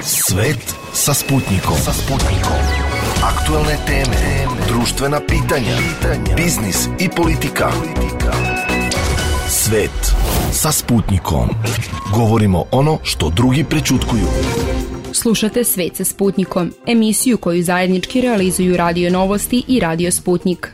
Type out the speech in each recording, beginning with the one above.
Svet sa Sputnikom. Aktualne teme, društvena pitanja, biznis i politika. Svet sa Sputnikom. Govorimo ono što drugi prećutkuju. Slušate Svet sa Sputnikom, emisiju koju zajednički realizuju Radio Novosti i Radio Sputnik.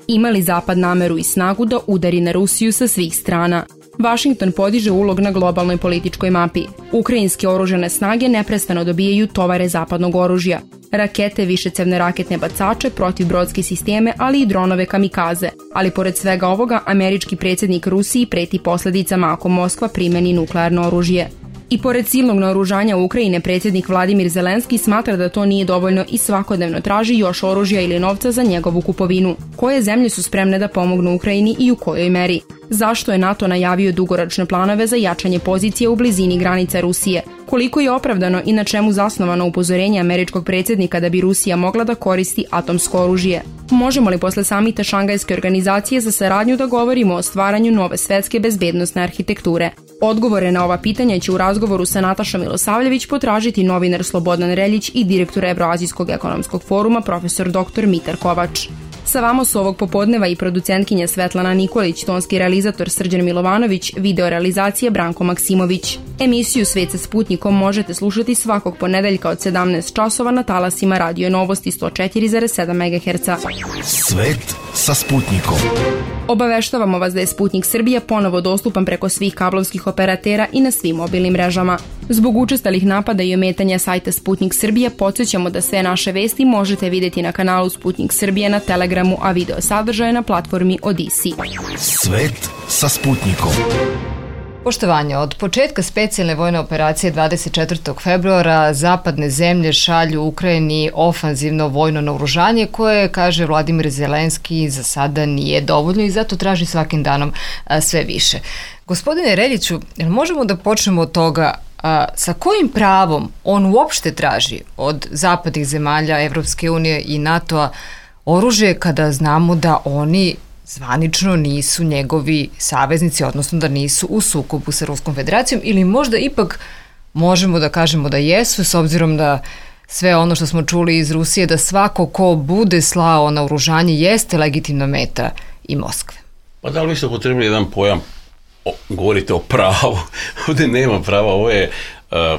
Ima li Zapad nameru i snagu da udari na Rusiju sa svih strana? Vašington podiže ulog na globalnoj političkoj mapi. Ukrajinske oružane snage neprestano dobijaju tovare zapadnog oružja. Rakete, višecevne raketne bacače, protivbrodske sisteme, ali i dronove kamikaze. Ali pored svega ovoga, američki predsjednik Rusiji preti posljedicama ako Moskva primeni nuklearno oružje. I pored silnog naoružanja Ukrajine, predsjednik Vladimir Zelenski smatra da to nije dovoljno i svakodnevno traži još oružja ili novca za njegovu kupovinu. Koje zemlje su spremne da pomognu Ukrajini i u kojoj meri? Zašto je NATO najavio dugoročne planove za jačanje pozicije u blizini granica Rusije? Koliko je opravdano i na čemu zasnovano upozorenje američkog predsjednika da bi Rusija mogla da koristi atomsko oružje? Možemo li posle samita Šangajske organizacije za saradnju da govorimo o stvaranju nove svetske bezbednosne arhitekture? Odgovore na ova pitanja će u razgovoru sa Natašom Milosavljević potražiti novinar Slobodan Reljić i direktor Evroazijskog ekonomskog foruma profesor dr. Mitar Kovač. Sa vama su ovog popodneva i producentkinja Svetlana Nikolić, tonski realizator Srđan Milovanović, video realizacija Branko Maksimović. Emisiju Svet sa Sputnikom možete slušati svakog ponedeljka od 17 časova na talasima Radio Novosti 104,7 MHz. Svet sa Sputnikom. Obaveštavamo vas da je Sputnik Srbija ponovo dostupan preko svih kablovskih operatera i na svim mobilnim mrežama. Zbog učestalih napada i ometanja sajta Sputnik Srbija podsjećamo da sve naše vesti možete vidjeti na kanalu Sputnik Srbija na Telegramu, a video sadržaje na platformi Odisi. Svet sa Sputnikom. Poštovanje, od početka specijalne vojne operacije 24. februara zapadne zemlje šalju Ukrajini ofanzivno vojno naoružanje koje, kaže Vladimir Zelenski, za sada nije dovoljno i zato traži svakim danom sve više. Gospodine Reljiću, možemo da počnemo od toga sa kojim pravom on uopšte traži od zapadnih zemalja, Evropske unije i NATO-a oružje kada znamo da oni zvanično nisu njegovi saveznici, odnosno da nisu u sukobu sa Ruskom federacijom, ili možda ipak možemo da kažemo da jesu, s obzirom da sve ono što smo čuli iz Rusije, da svako ko bude slao naoružanje jeste legitimna meta i Moskve. Pa da li vi ste upotrebili jedan pojam, govorite o pravu, ovdje nema prava, ovo je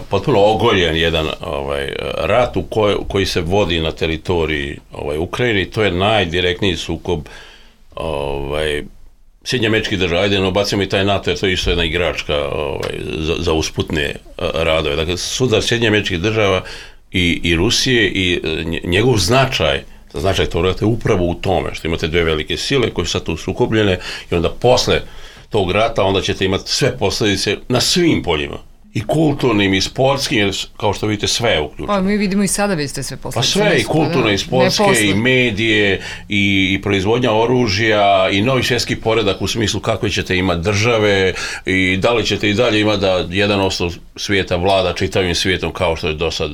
potpuno ogoljen jedan rat koji se vodi na teritoriji Ukrajine, to je najdirektniji sukob Sjedinjenih Američkih Država. Ajde, obacimo i taj NATO, jer to je isto jedna igračka za usputne radove. Dakle, sudar Sjedinjenih Američkih Država i Rusije i njegov značaj tog rata je upravo u tome što imate dve velike sile koje su sad tu sukobljene i onda posle tog rata onda ćete imati sve posljedice na svim poljima. I kulturnim, i sportskim, jer kao što vidite sve je uključeno. Pa mi vidimo i sada vidite sve posljedice. Pa sve, i kulturne, i sportske, i medije, i proizvodnja oružja, i novi svjetski poredak u smislu kakve ćete imati države, i da li ćete i dalje imati da 1% svijeta vlada čitavim svijetom kao što je do sad.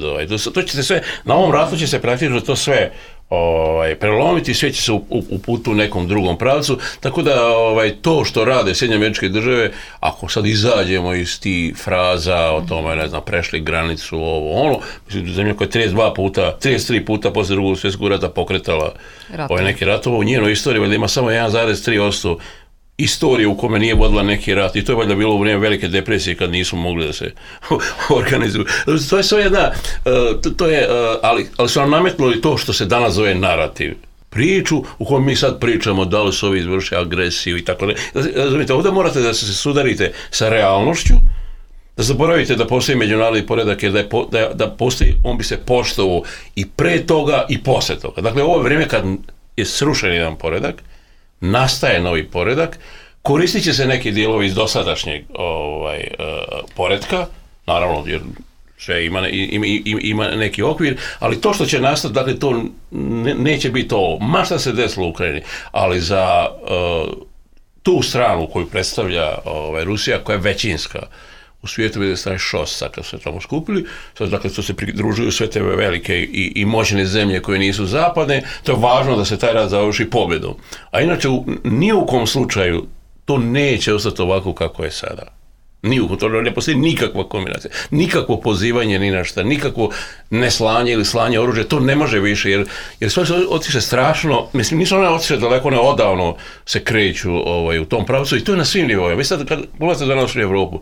To ćete sve, na ovom ratu će se praktično to sve prelomiti, sve će se uputiti u nekom drugom pravcu, tako da to što rade Sjedinjene Američke Države, ako sad izađemo iz tih fraza o tome, ne znam, prešli granicu, mislim, zemlja koja je 33 puta posle drugog svjetskog rata pokretala neke ratove u njenoj istoriji, valjda ima samo 1,3% istorije u kome nije vodila neki rat, i to je valjda bilo u vrijeme velike depresije kad nisu mogli da se organizuju. To je sve jedna, ali su nam nametnuli to što se danas zove narativ. Priču u kojoj mi sad pričamo da li su ovi izvršili agresiju i tako ne. Razumite, ovdje morate da se sudarite sa realnošću, da zaboravite da postoji međunarodni poredak, jer da postoji, on bi se poštovao i pre toga i posle toga. Dakle, ovo je vrijeme kad je srušen jedan poredak, nastaje novi poredak, koristit će se neki dijelovi iz dosadašnjeg poretka, naravno jer sve ima neki okvir, ali to što će nastati, dakle to neće biti ovo, ma šta se desilo u Ukrajini, ali za tu stranu koju predstavlja Rusija, koja je većinska u svijetu, vidi staje šos, sad kad su se tamo skupili, sad dakle to se pridružuju sve te velike i moćne zemlje koje nisu zapadne, to je važno da se taj rat završi pobjedom. A inače, ni u kom slučaju to neće ostati ovako kako je sada. To ne postoji nikakva kombinacija, nikakvo pozivanje ni na šta, nikakvo neslanje ili slanje oružja, to ne može više, jer sve se otiše strašno, mislim, nisu one otiše daleko, one odavno se kreću u tom pravcu i to je na svim nivoima. Vi sad kad pogledate danas u Evropu,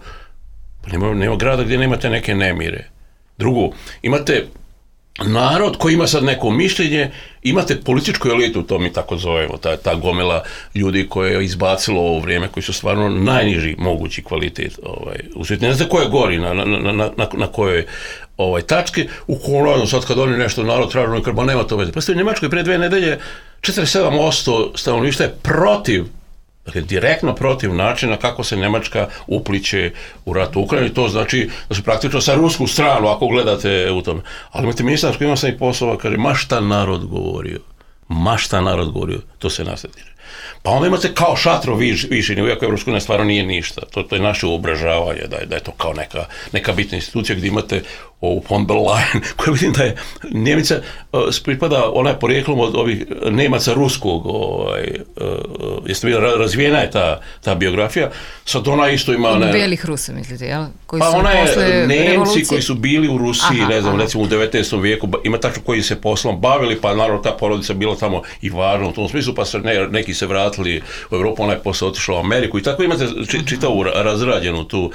pa nema grada gdje nemate neke nemire. Drugo, imate narod koji ima sad neko mišljenje, imate političku elitu, to mi tako zovemo, ta gomila ljudi koje je izbacilo ovo vrijeme, koji su stvarno najniži mogući kvalitet u svijetu. Ne znam ko je gori, na kojoj tački, u kolonu sad kad oni nešto narod tražno i krba, nema to veze. Pa ste u Njemačkoj pre 2 nedelje 47% stanovništva je protiv, dakle, direktno protiv načina kako se Njemačka upliće u rat u Ukrajini. To znači da su praktično sa rusku stranu, ako gledate u tome. Ali imate ministar koji ima sam i poslova, kaže, ma šta narod govorio, to se nas ne tiče. Pa onda imate kao šatro višini, iako Evropska unija stvarno nije ništa. To je naše uobražavanje, da je to kao neka bitna institucija gdje imate ovu von der Leyen, koja vidim da je Njemica, pripada, ona je porijeklom od ovih Nemaca ruskog, jeste vidjeli, razvijena je ta biografija, sad ona isto ima... Belih Rusa, mislite, jel? Pa ona je Nemci koji su bili u Rusiji, ne znam, recimo u 19. vijeku, ima tačno koji se poslom bavili, pa naravno ta porodica bila tamo i važna u tom smislu, pa neki se vratili u Evropu, ona je posle otišla u Ameriku i tako imate čitavu razrađenu tu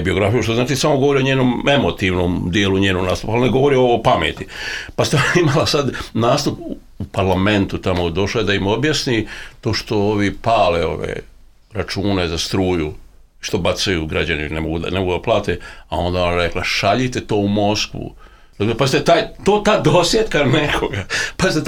biografiju, što znači samo govori o njenom emotivnom dijelu njenog nastupa, ali ne govori o pameti. Pa ste imala sad nastup u parlamentu, tamo došla je da im objasni to što ovi pale ove račune za struju, što bacaju građani, ne mogu da plate, a onda ona rekla, šaljite to u Moskvu. Pa ste ta dosjetka nekoga, pa ste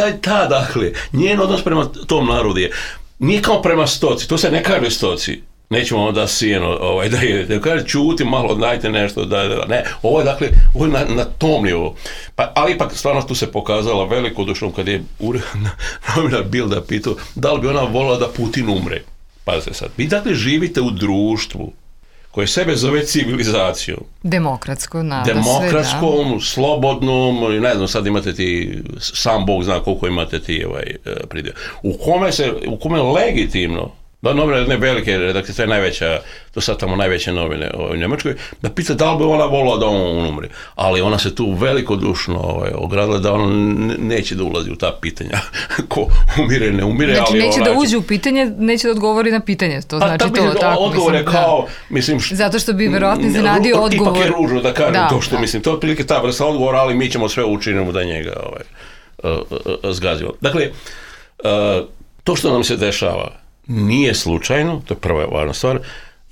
dakle, njen odnos prema tom narodu je, nije kao prema stoci, to se ne kaže stoci, nećemo vam da sijeno, da jedete, kaže čuti malo, dajte nešto, ne, ovo je dakle, ovo je na tom nivou. Pa, ali ipak stvarno tu se pokazala velikodušnom kad je novinar Bilda pitao da li bi ona volila da Putin umre. Pazite sad, vi dakle živite u društvu koje sebe zove civilizacijom. Demokratskom, slobodnom, ne znam, sad imate ti, sam Bog zna koliko imate ti pridjel. U kome legitimno, da novine jedne velike redakcije, to je najveća, to sad tamo najveće novine u Njemačkoj, da pita da li bi ona volila da on umre. Ali ona se tu velikodušno ogradila da ona neće da ulazi u ta pitanja. Ko umire, ne umire. Znači neće da uđe u pitanje, neće da odgovori na pitanje. To znači to. Odgovor je kao, mislim... Zato što bi verovatno iznenadio odgovor. Ipak je ružno da kažem to što mislim. To je otprilike ta vrsta odgovora, ali mi ćemo sve učiniti da njega zgazimo. Dakle, to što nam se dešava nije slučajno, to je prva važna stvar.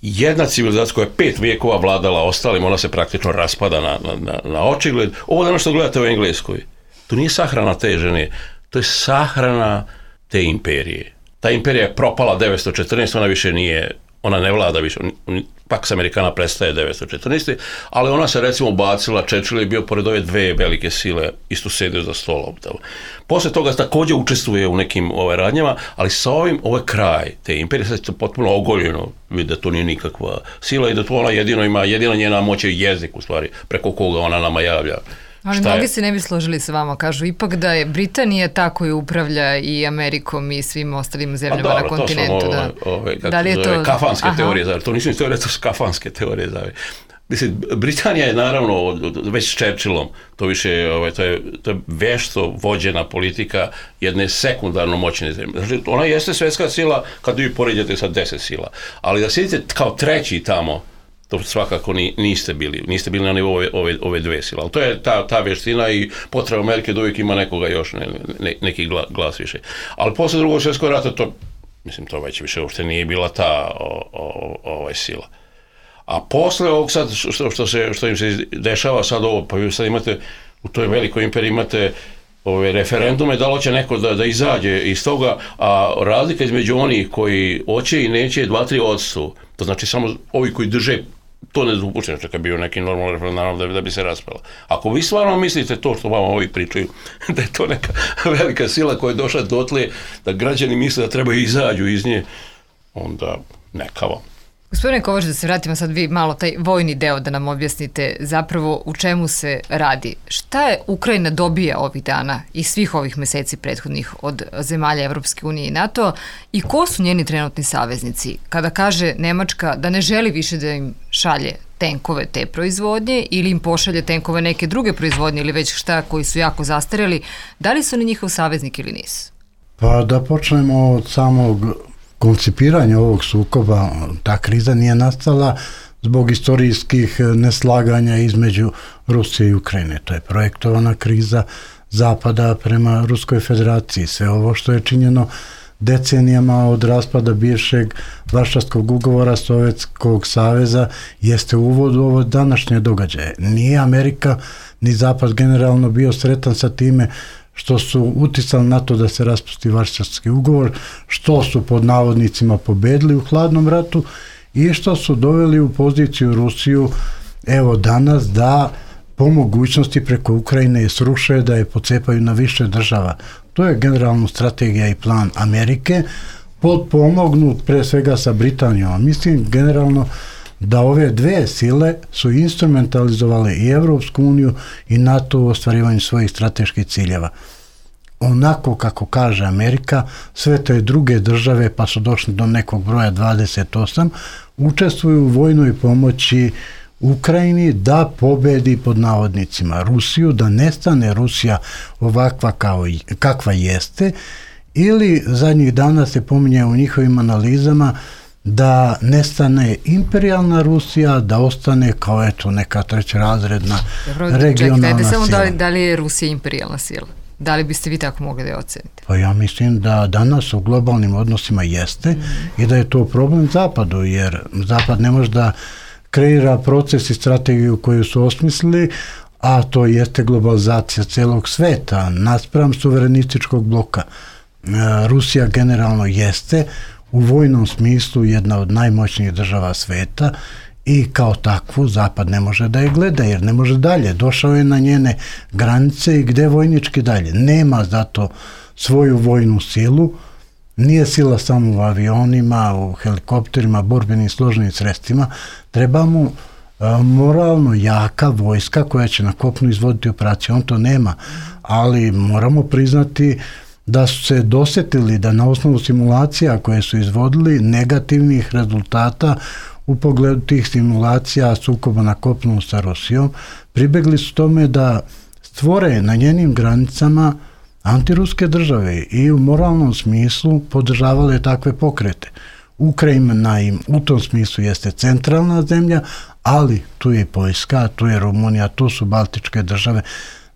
Jedna civilizacija koja je 5 vijekova vladala ostalim, ona se praktično raspada na očigled. Ovo danas što gledate u Engleskoj, to nije sahrana te žene, to je sahrana te imperije. Ta imperija je propala 914, ona više nije, ona ne vlada više, Pax Americana prestaje 914, ali ona se recimo bacila, Churchill je bio pored ove 2 velike sile, isto sedio za stolom. Posle toga također učestvuje u nekim radnjama, ali sa ovim, ovo je kraj te imperije, sad je potpuno ogoljeno, vidi da to nije nikakva sila i da to ona jedina njena moć je jezik, u stvari, preko koga ona nama javlja. Ali mnogi se ne bi složili sa vama, kažu ipak da je Britanija ta koja upravlja i Amerikom i svim ostalim zemljama na kontinentu. Da li je to kafanske teorije, to nisu teorije, to su kafanske teorije. Mislim, Britanija je naravno već s Churchillom, to više to je vješto vođena politika jedne sekundarno moćne zemlje. Znači, ona jeste svjetska sila kad vi poređate sa 10 sila, ali da sjedite kao treći tamo, to svakako niste bili na nivou ove 2 sile. Ali to je ta vještina i potreba Amerike da uvijek ima nekoga još, neki glas više. Ali posle Drugog svjetskog rata to već više uopšte nije bila ta sila. A posle ovog sad, što im se dešava sad ovo, pa vi sad imate, u toj velikoj imperiji imate ove referendume, da li će neko da izađe iz toga, a razlika između onih koji hoće i neće je 2-3%. To znači samo ovi koji drže to nedopušteno, čak je bio neki normalni referendum da bi se raspala. Ako vi stvarno mislite to što vam ovi pričaju, da je to neka velika sila koja je došla dotle, da građani misle da treba izađu iz nje, onda neka vam. Gospodine Kovač, da se vratimo sad vi malo taj vojni deo da nam objasnite zapravo u čemu se radi. Šta je Ukrajina dobija ovih dana i svih ovih meseci prethodnih od zemalja Evropske unije i NATO i ko su njeni trenutni saveznici? Kada kaže Nemačka da ne želi više da im šalje tenkove te proizvodnje ili im pošalje tenkove neke druge proizvodnje ili već šta koji su jako zastareli, da li su oni njihov saveznik ili nisu? Pa da počnemo od samog koncipiranja ovog sukoba. Ta kriza nije nastala zbog istorijskih neslaganja između Rusije i Ukrajine. To je projektovana kriza Zapada prema Ruskoj federaciji. Sve ovo što je činjeno decenijama od raspada bivšeg Varšavskog ugovora Sovjetskog saveza jeste uvod u ovo današnje događaje. Nije Amerika ni Zapad generalno bio sretan sa time što su uticali na to da se raspusti Varšavski ugovor, što su pod navodnicima pobedili u hladnom ratu i što su doveli u poziciju Rusiju evo danas da po mogućnosti preko Ukrajine je sruše, da je pocepaju na više država. To je generalno strategija i plan Amerike, potpomognut pre svega sa Britanijom. Mislim generalno da ove dve sile su instrumentalizovale i Evropsku uniju i NATO u ostvarivanju svojih strateških ciljeva. Onako kako kaže Amerika, sve te druge države, pa su došli do nekog broja 28, učestvuju u vojnoj pomoći Ukrajini da pobedi pod navodnicima Rusiju, da nestane Rusija ovakva kakva jeste, ili zadnjih dana se pominje u njihovim analizama da nestane imperijalna Rusija, da ostane kao eto neka trećerazredna regionalna sila. Samo da li je Rusija imperijalna sila? Da li biste vi tako mogli da je ocenite? Pa ja mislim da danas u globalnim odnosima jeste i da je to problem Zapadu, jer Zapad ne može da kreira proces i strategiju koju su osmislili, a to jeste globalizacija celog sveta naspram suverenističkog bloka. Rusija generalno jeste u vojnom smislu jedna od najmoćnijih država sveta i kao takvu Zapad ne može da je gleda jer ne može dalje. Došao je na njene granice i gde vojnički dalje. Nema zato svoju vojnu silu, nije sila samo u avionima, u helikopterima, borbenim složenim sredstvima. Treba mu moralno jaka vojska koja će na kopnu izvoditi operaciju. On to nema, ali moramo priznati da su se dosetili da na osnovu simulacija koje su izvodili negativnih rezultata u pogledu tih simulacija sukoba na kopnu sa Rusijom, pribegli su tome da stvore na njenim granicama antiruske države i u moralnom smislu podržavale takve pokrete. Ukrajina im u tom smislu jeste centralna zemlja, ali tu je i Poljska, tu je Rumunija, tu su Baltičke države.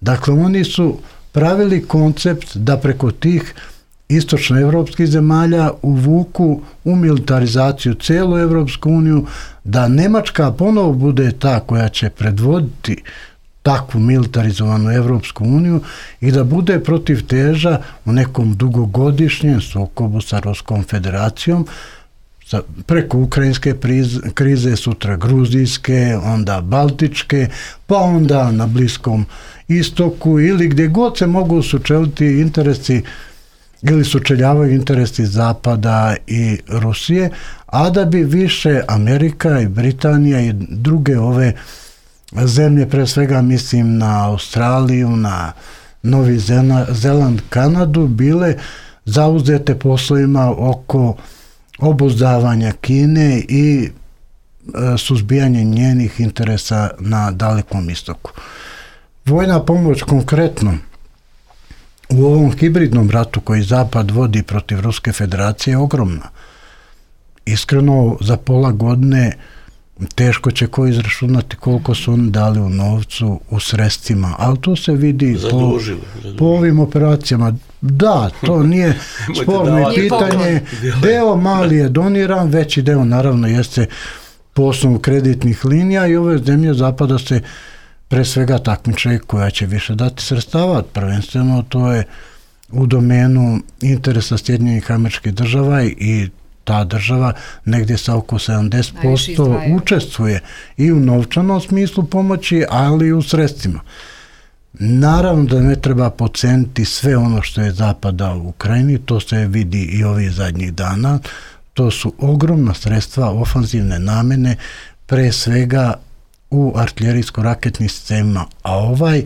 Dakle, oni su pravili koncept da preko tih istočnoevropskih zemalja uvuku u militarizaciju celu Evropsku uniju, da Nemačka ponovo bude ta koja će predvoditi takvu militarizovanu Evropsku uniju i da bude protiv teža u nekom dugogodišnjem sukobu sa Ruskom federacijom, preko ukrajinske krize, sutra gruzijske, onda baltičke, pa onda na Bliskom istoku ili gdje god se mogu sučeliti interesi ili sučeljavaju interesi Zapada i Rusije, a da bi više Amerika i Britanija i druge ove zemlje, pre svega mislim na Australiju, na Novi Zeland, Kanadu, bile zauzete poslovima oko obuzdavanja Kine i suzbijanje njenih interesa na Dalekom istoku. Vojna pomoć konkretno u ovom hibridnom ratu koji Zapad vodi protiv Ruske federacije je ogromna. Iskreno, za pola godine teško će ko izračunati koliko su oni dali u novcu, u sredstvima, ali to se vidi po ovim operacijama. Da, to nije sporno i pitanje. Deo mali je doniran, veći deo naravno jeste po osnovu kreditnih linija i ove zemlje Zapada se pre svega takmiče koja će više dati sredstava. Prvenstveno to je u domenu interesa Sjedinjenih Američkih Država i ta država negdje sa oko 70% učestvuje i u novčanom smislu pomoći, ali i u sredstvima. Naravno da ne treba podceniti sve ono što je Zapad dao u Ukrajini, to se vidi i ovih zadnjih dana. to su ogromna sredstva ofanzivne namene, pre svega u artiljerijsko-raketnim sistemima, a ovaj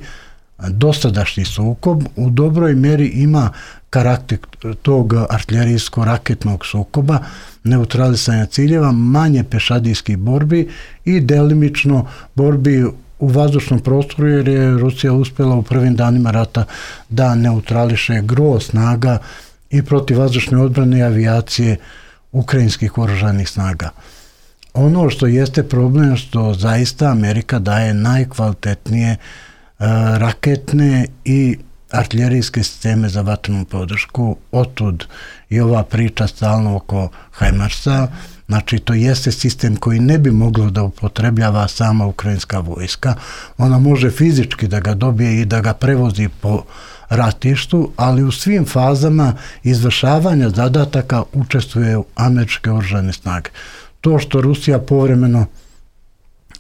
dosadašnji sukob u dobroj meri ima karakter tog artiljerijsko-raketnog sukoba, neutralisanja ciljeva, manje pešadijskih borbi i delimično borbi u vazdušnom prostoru, jer je Rusija uspjela u prvim danima rata da neutrališe gro snaga i protivvazdušne odbrane i avijacije ukrajinskih oružanih snaga. Ono što jeste problem, što zaista Amerika daje najkvalitetnije raketne i artiljerijske sisteme za vatrenu podršku, otud i ova priča stalno oko HIMARS-a, znači to jeste sistem koji ne bi moglo da upotrebljava sama ukrajinska vojska, ona može fizički da ga dobije i da ga prevozi po ratištu, ali u svim fazama izvršavanja zadataka učestvuje američke oružane snage. To što Rusija povremeno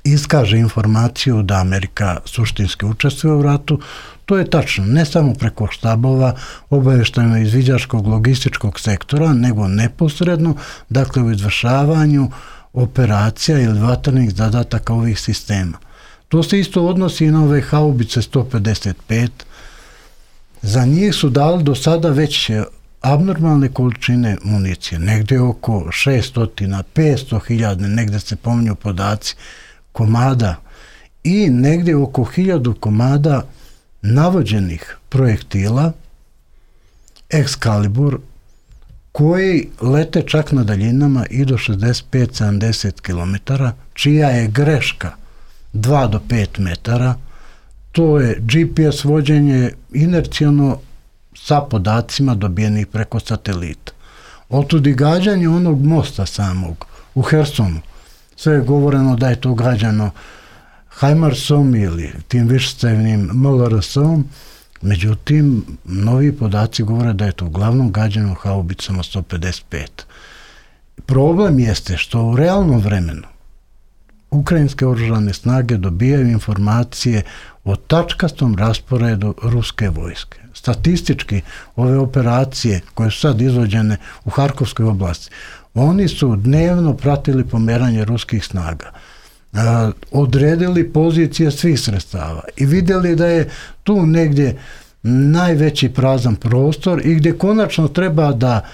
iskaže informaciju da Amerika suštinski učestvuje u ratu, to je tačno, ne samo preko štabova obavještajno-izviđačkog logističkog sektora, nego neposredno, dakle u izvršavanju operacija ili vatrenih zadataka ovih sistema. To se isto odnosi i na ove haubice 155. Za njih su dali do sada već abnormalne količine municije, negdje oko 600, 500 hiljada, negdje se pominju podaci, komada i negdje oko 1000 komada navođenih projektila Excalibur koji lete čak na daljinama i do 65-70 km, čija je greška 2 do 5 metara. To je GPS vođenje inercijalno sa podacima dobijenih preko satelita. Otud i gađanje onog mosta samog u Hersonu. Sve je govoreno da je to gađano HIMARS-om ili tim višecevnim MLRS-om, međutim, novi podaci govore da je to uglavnom gađano haubicama 155. Problem jeste što u realnom vremenu ukrajinske oružane snage dobijaju informacije o tačkastom rasporedu ruske vojske. Statistički, ove operacije koje su sad izvođene u Harkovskoj oblasti, oni su dnevno pratili pomeranje ruskih snaga, odredili pozicije svih sredstava i vidjeli da je tu negdje najveći prazan prostor i gdje konačno treba da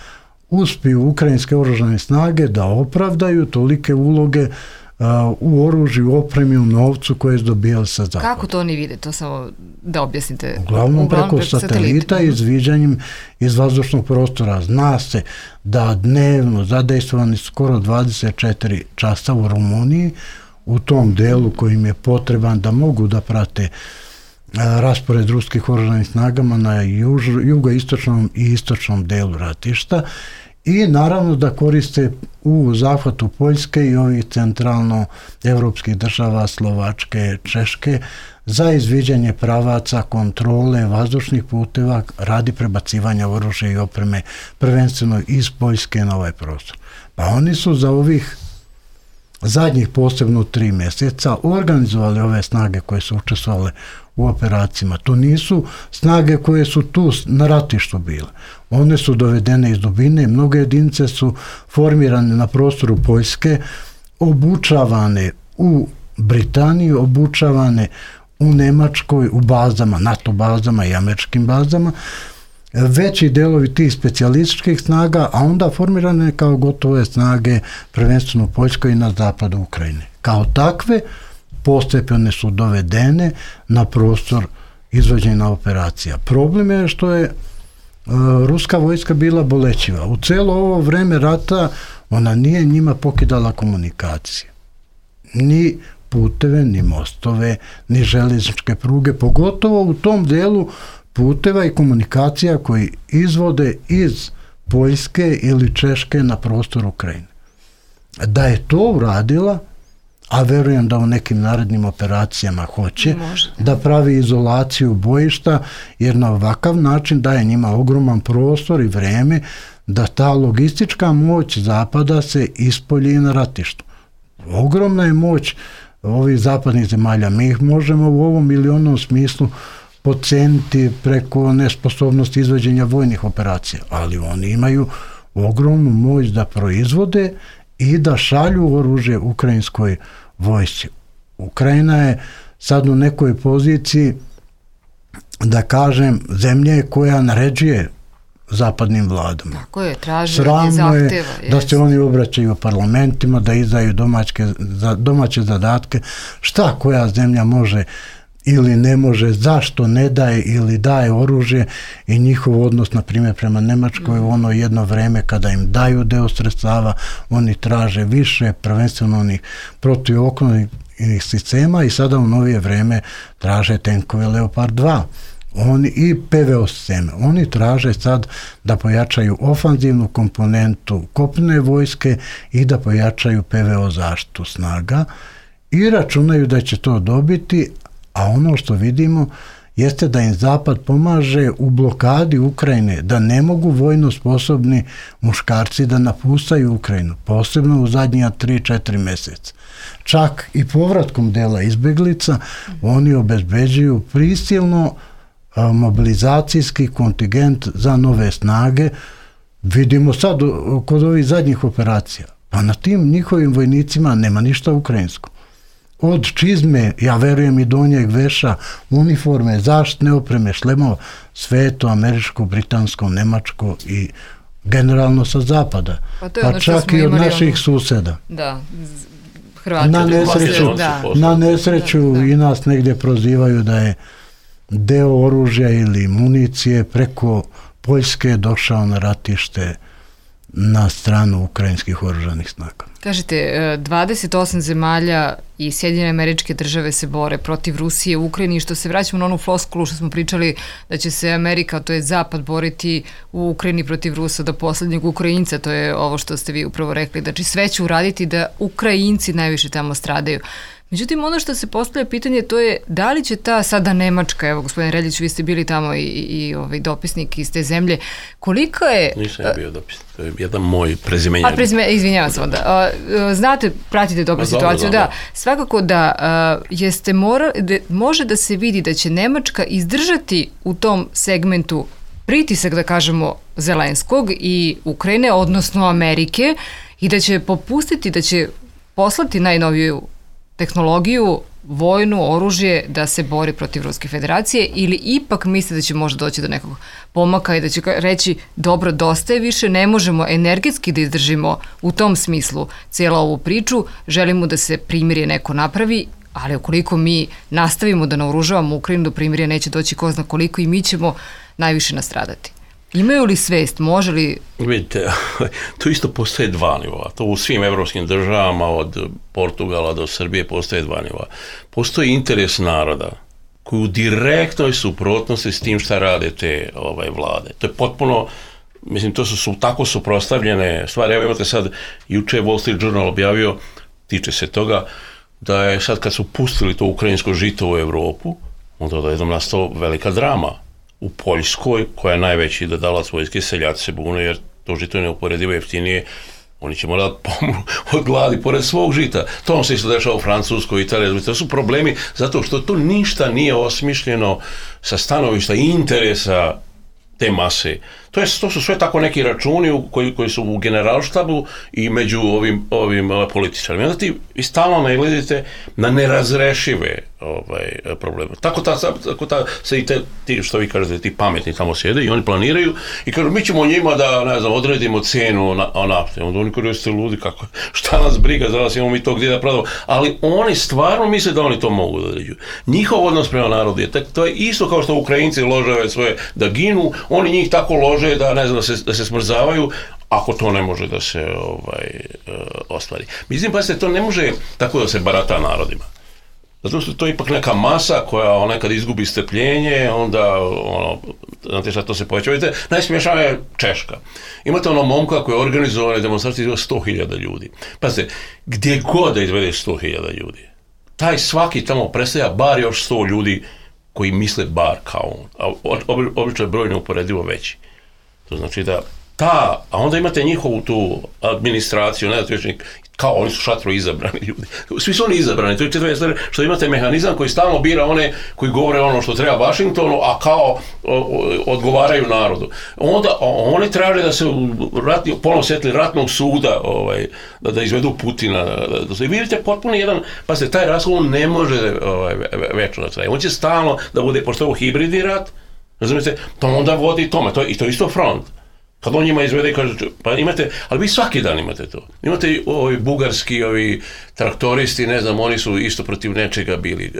uspiju ukrajinske oružane snage da opravdaju tolike uloge u oružju, opremi, u novcu koje su dobijali sa zapada. Kako to oni vide? To samo da objasnite. Uglavnom preko satelita i izviđanjem iz vazdušnog prostora. Zna se da dnevno zadejstvovani skoro 24 časa u Rumuniji, u tom delu kojim je potreban da mogu da prate raspored ruskih oružanih snagama na jugoistočnom i istočnom delu ratišta i naravno da koriste u zahvatu Poljske i ovih centralno-evropskih država, Slovačke, Češke, za izviđanje pravaca, kontrole vazdušnih puteva radi prebacivanja oružja i opreme prvenstveno iz Poljske na ovaj prostor. Pa oni su za ovih zadnjih posebno 3 mjeseca organizovali ove snage koje su učestvovale u operacijama. To nisu snage koje su tu na ratištu bile. One su dovedene iz dubine, mnoge jedinice su formirane na prostoru Poljske, obučavane u Britaniji, obučavane u Nemačkoj, u bazama, NATO bazama i američkim bazama, veći delovi tih specijalističkih snaga, a onda formirane kao gotove snage prvenstveno u Poljskoj i na zapadu Ukrajine. Kao takve postepeno su dovedene na prostor izvođenja operacija. Problem je što je ruska vojska bila bolećiva. U celo ovo vreme rata ona nije njima pokidala komunikacije. Ni puteve, ni mostove, ni željezničke pruge, pogotovo u tom delu puteva i komunikacija koji izvode iz Poljske ili Češke na prostor Ukrajine. Da je to uradila, a verujem da u nekim narednim operacijama hoće, da pravi izolaciju bojišta, jer na ovakav način daje njima ogroman prostor i vreme da ta logistička moć zapada se ispolji na ratištu. Ogromna je moć ovih zapadnih zemalja. Mi ih možemo u ovom ili onom smislu podceniti preko nesposobnosti izvođenja vojnih operacija, ali oni imaju ogromnu moć da proizvode i da šalju oružje ukrajinskoj vojsci. Ukrajina je sad u nekoj poziciji, da kažem, zemlje koja naređuje zapadnim vladama. Tako je, traže zahteva. Je da se oni obraćaju parlamentima, da izdaju domaće zadatke. Šta koja zemlja može ili ne može, zašto ne daje ili daje oružje, i njihov odnos, na primjer, prema Nemačkoj, ono jedno vreme kada im daju deo sredstava, oni traže više, prvenstveno onih protivoklopnih sistema, i sada u novije vreme traže tenkove Leopard 2. Oni i PVO sisteme. Oni traže sad da pojačaju ofanzivnu komponentu kopnene vojske i da pojačaju PVO zaštitu snaga i računaju da će to dobiti, a ono što vidimo jeste da im Zapad pomaže u blokadi Ukrajine, da ne mogu vojno sposobni muškarci da napustaju Ukrajinu, posebno u zadnja 3-4 meseca. Čak i povratkom dela izbeglica oni obezbeđuju prisilno mobilizacijski kontingent za nove snage. Vidimo sad kod ovih zadnjih operacija, pa na tim njihovim vojnicima nema ništa ukrajinsko. Od čizme, ja verujem i donjeg veša, uniforme, zaštitne opreme, šlemova, sve to američko, britansko, nemačko i generalno sa zapada. Pa čak i od naših suseda. Da, Hrvati. Na nesreću i nas negdje prozivaju da je deo oružja ili municije preko Poljske došao na ratište na stranu ukrajinskih oružanih snaga. Kažete, 28 zemalja i Sjedinjene Američke Države se bore protiv Rusije u Ukrajini, što se vraćamo na onu floskulu što smo pričali da će se Amerika, to je Zapad, boriti u Ukrajini protiv Rusa do posljednjeg Ukrajinca, to je ovo što ste vi upravo rekli, znači sve će uraditi da Ukrajinci najviše tamo stradaju. Međutim, ono što se postavlja pitanje, to je da li će ta sada Nemačka, evo gospodin Reljić, vi ste bili tamo i dopisnik iz te zemlje, koliko je... Nisam ja bio dopisnik, to je jedan moj prezimenjan. Izvinjavam se onda. Znate, pratite dobro situaciju, da. Svakako da može da se vidi da će Nemačka izdržati u tom segmentu pritisak, da kažemo, Zelenskog i Ukrajine, odnosno Amerike, i da će popustiti, da će poslati najnoviju tehnologiju, vojnu, oružje da se bori protiv Ruske federacije, ili ipak misle da će možda doći do nekog pomaka i da će reći dobro, dosta je više, ne možemo energetski da izdržimo u tom smislu cijelu ovu priču, želimo da se primirje neko napravi, ali ukoliko mi nastavimo da naoružavamo Ukrajinu, do primirja neće doći ko zna koliko i mi ćemo najviše nastradati. Imaju li svest, može li... Vidite, to isto postoje dva nivoa. To u svim evropskim državama, od Portugala do Srbije, postoje dva nivoa. Postoji interes naroda koji u direktnoj suprotnosti s tim šta rade te vlade. To je potpuno, mislim, to su tako suprotstavljene stvari. Evo imate sad, juče Wall Street Journal objavio, tiče se toga, da je sad kad su pustili to ukrajinsko žito u Evropu, onda da je jednom nastao velika drama. U Poljskoj, koja je najveći dodalac vojske, seljaci se bune jer to žito je neuporedivo jeftinije, oni će morati pomru od gladi pored svog žita. To se isto dešava u Francuskoj, Italiji, to su problemi zato što to ništa nije osmišljeno sa stanovišta interesa te mase. To su sve tako neki računi koji su u generalštabu i među ovim političarima. Onda ti stalno nailazite na nerazrešive probleme. Tako se i ti, što vi kažete, ti pametni tamo sjede i oni planiraju i kažu, mi ćemo njima da, ne znam, odredimo cenu nafte. Onda oni kažu, jeste ludi, šta nas briga, za nas imamo mi to gdje da prodamo. Ali oni stvarno misle da oni to mogu da određuju. Njihov odnos prema narodu je, to je isto kao što Ukrajinci lože svoje da ginu, oni njih tako lože da, ne znam, da se smrzavaju, ako to ne može da se ostvari. Mislim, pa to ne može tako da se barata narodima. Zato što to je ipak neka masa koja nekad izgubi strpljenje, onda, znate šta, to se poveća. Vidite, najsmješnija je Češka. Imate momka koji je organizovane demonstracije izveo 100.000 ljudi. Pazite, gdje god da izvede 100.000 ljudi, taj svaki tamo predstavlja bar još 100 ljudi koji misle bar kao on. A obično je broj neuporedivo veći. To znači da a onda imate njihovu tu administraciju, ne znate kao oni su šatro izabrani ljudi. Svi su oni izabrani, to je četvrta stvar, što imate mehanizam koji stalno bira one koji govore ono što treba Washingtonu, a kao odgovaraju narodu. Onda oni traže da se ponovno setili ratnog suda, da izvedu Putina. I vidite potpuno jedan, pazite, taj raskol ne može večno da traje. On će stalno da bude, pošto je ovo hibridni rat, razumijete, to onda vodi tome, i to je isto front. Kad on njima izvede i kaže, pa imate, ali vi svaki dan imate to. Imate ovi bugarski, ovi traktoristi, ne znam, oni su isto protiv nečega bili.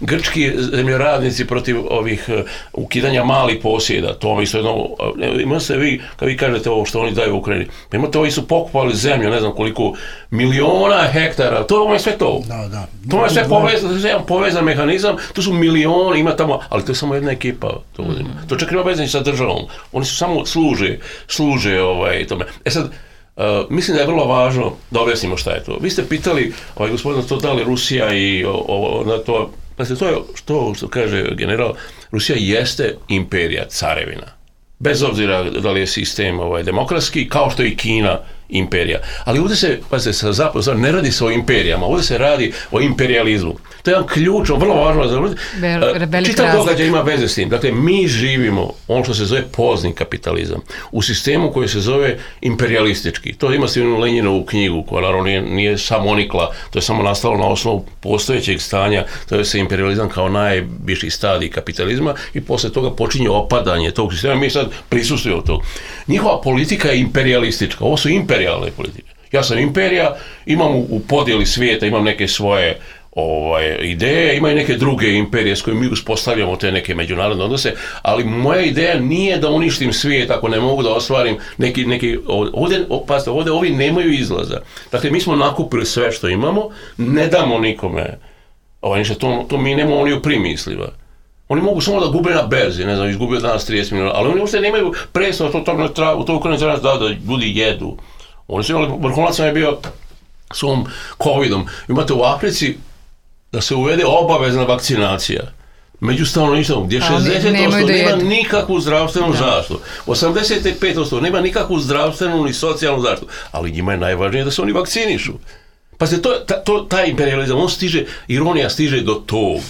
Grčki zemljoradnici protiv ovih ukidanja malih posjeda, to isto jedno, imate vi, kad vi kažete ovo što oni daju u Ukrajini, pa imate ovi su pokupali zemlju, ne znam koliko miliona hektara, to je sve to. Da. To je sve jedan povezan mehanizam, to su milioni, ima tamo, ali to je samo jedna ekipa. To čak nema veze sa državom. Oni su samo služe tome. Sad, mislim da je vrlo važno da objasnimo šta je to. Vi ste pitali, gospodina, to da li Rusija i na to, znači to je što kaže general, Rusija jeste imperija, carevina. Bez obzira da li je sistem demokratski, kao što je i Kina imperija. Ali ovdje se, pazite, sa zapada, ne radi se o imperijama, ovdje se radi o imperializmu. To je jedan ključno, vrlo važno za čitav događaj ima veze s tim. Dakle, mi živimo ono što se zove pozni kapitalizam u sistemu koji se zove imperialistički. To ima Stivnu Lenjinovu knjigu koja naravno nije samonikla, to je samo nastalo na osnovu postojećeg stanja, to je se imperializam kao najviši stadij kapitalizma i posle toga počinje opadanje tog sistema. Mi sad prisustvujemo tog. Njihova politika je imperialistička. Ovo su imperijalne politike. Ja sam imperija, imam u podjeli svijeta, imam neke svoje ideje, imaju neke druge imperije s kojima mi uspostavljamo te neke međunarodne odnose, ali moja ideja nije da uništim svijet ako ne mogu da ostvarim neki ovdje ovi nemaju izlaza. Dakle, mi smo nakupili sve što imamo, ne damo nikome ništa, to mi nemamo ni u primisliva. Oni mogu samo da gube na berzi, ne znam, izgubio danas 30 miliona, ali oni uopšte nemaju presno u to Ukrajini da ljudi jedu. Oni su imali, vrhunac je bio s ovom covidom. Imate u Africi da se uvede obavezna vakcinacija među stanovništvom, gdje 60% nema nikakvu zdravstvenu zaštitu, 85% nema nikakvu zdravstvenu ni socijalnu zaštitu, ali njima je najvažnije da se oni vakcinišu. Pa se taj imperializam, on stiže, ironija stiže do tog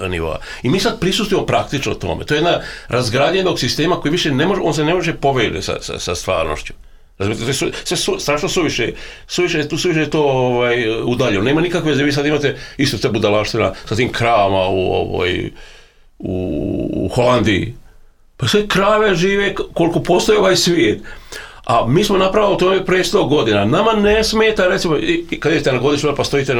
nivoa. I mi sad prisustujemo praktično tome. To je jedna razgradnjenog sistema koji više ne može, on se ne može povezati sa stvarnošću. Sve strašno suviše je to udaljeno. Nema nikakve veze, vi sad imate isto te budalaština sa tim kravama u Holandiji. Pa sve krave žive koliko postoji ovaj svijet. A mi smo napravili to pre 100 godina. Nama ne smeta, recimo, kad idete na godišnju, pa stojite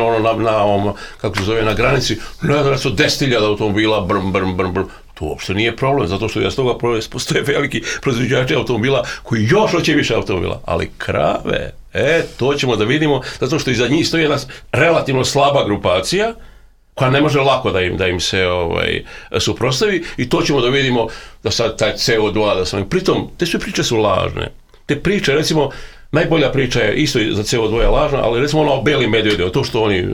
kako se zove, na granici, ne znam, su 10.000 automobila, brm. To uopšte nije problem, zato što ja s toga postoje veliki proizvođači automobila koji još hoće više automobila. Ali krave, to ćemo da vidimo, zato što iza njih stoji jedna relativno slaba grupacija, koja ne može lako da im se suprotstavi, i to ćemo da vidimo da sad taj CO2, pritom, te sve priče su lažne. Te priče, recimo, najbolja priča je isto za CO2 je lažna, ali recimo ono o belim medvedima, to što oni,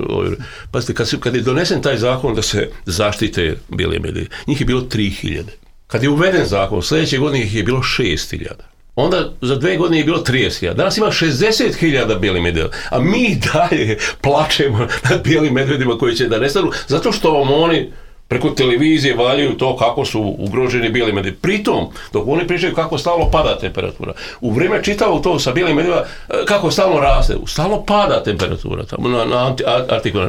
pazite, kad je donesen taj zakon da se zaštite beli medvedi, njih je bilo 3.000. Kad je uveden zakon, sljedeće godine ih je bilo 6.000. Onda za 2 godine je bilo 30.000. Danas ima 60.000 bijeli medveda, a mi dalje plačemo nad bijelim medvedima koji će da nestanu, zato što vam oni preko televizije valjaju to kako su ugroženi bijeli medvedi. Pritom, dok oni pričaju kako stalno pada temperatura, u vrijeme čitavo to sa bijelim medvedima, kako stalno raste, stalno pada temperatura tamo na Artiku.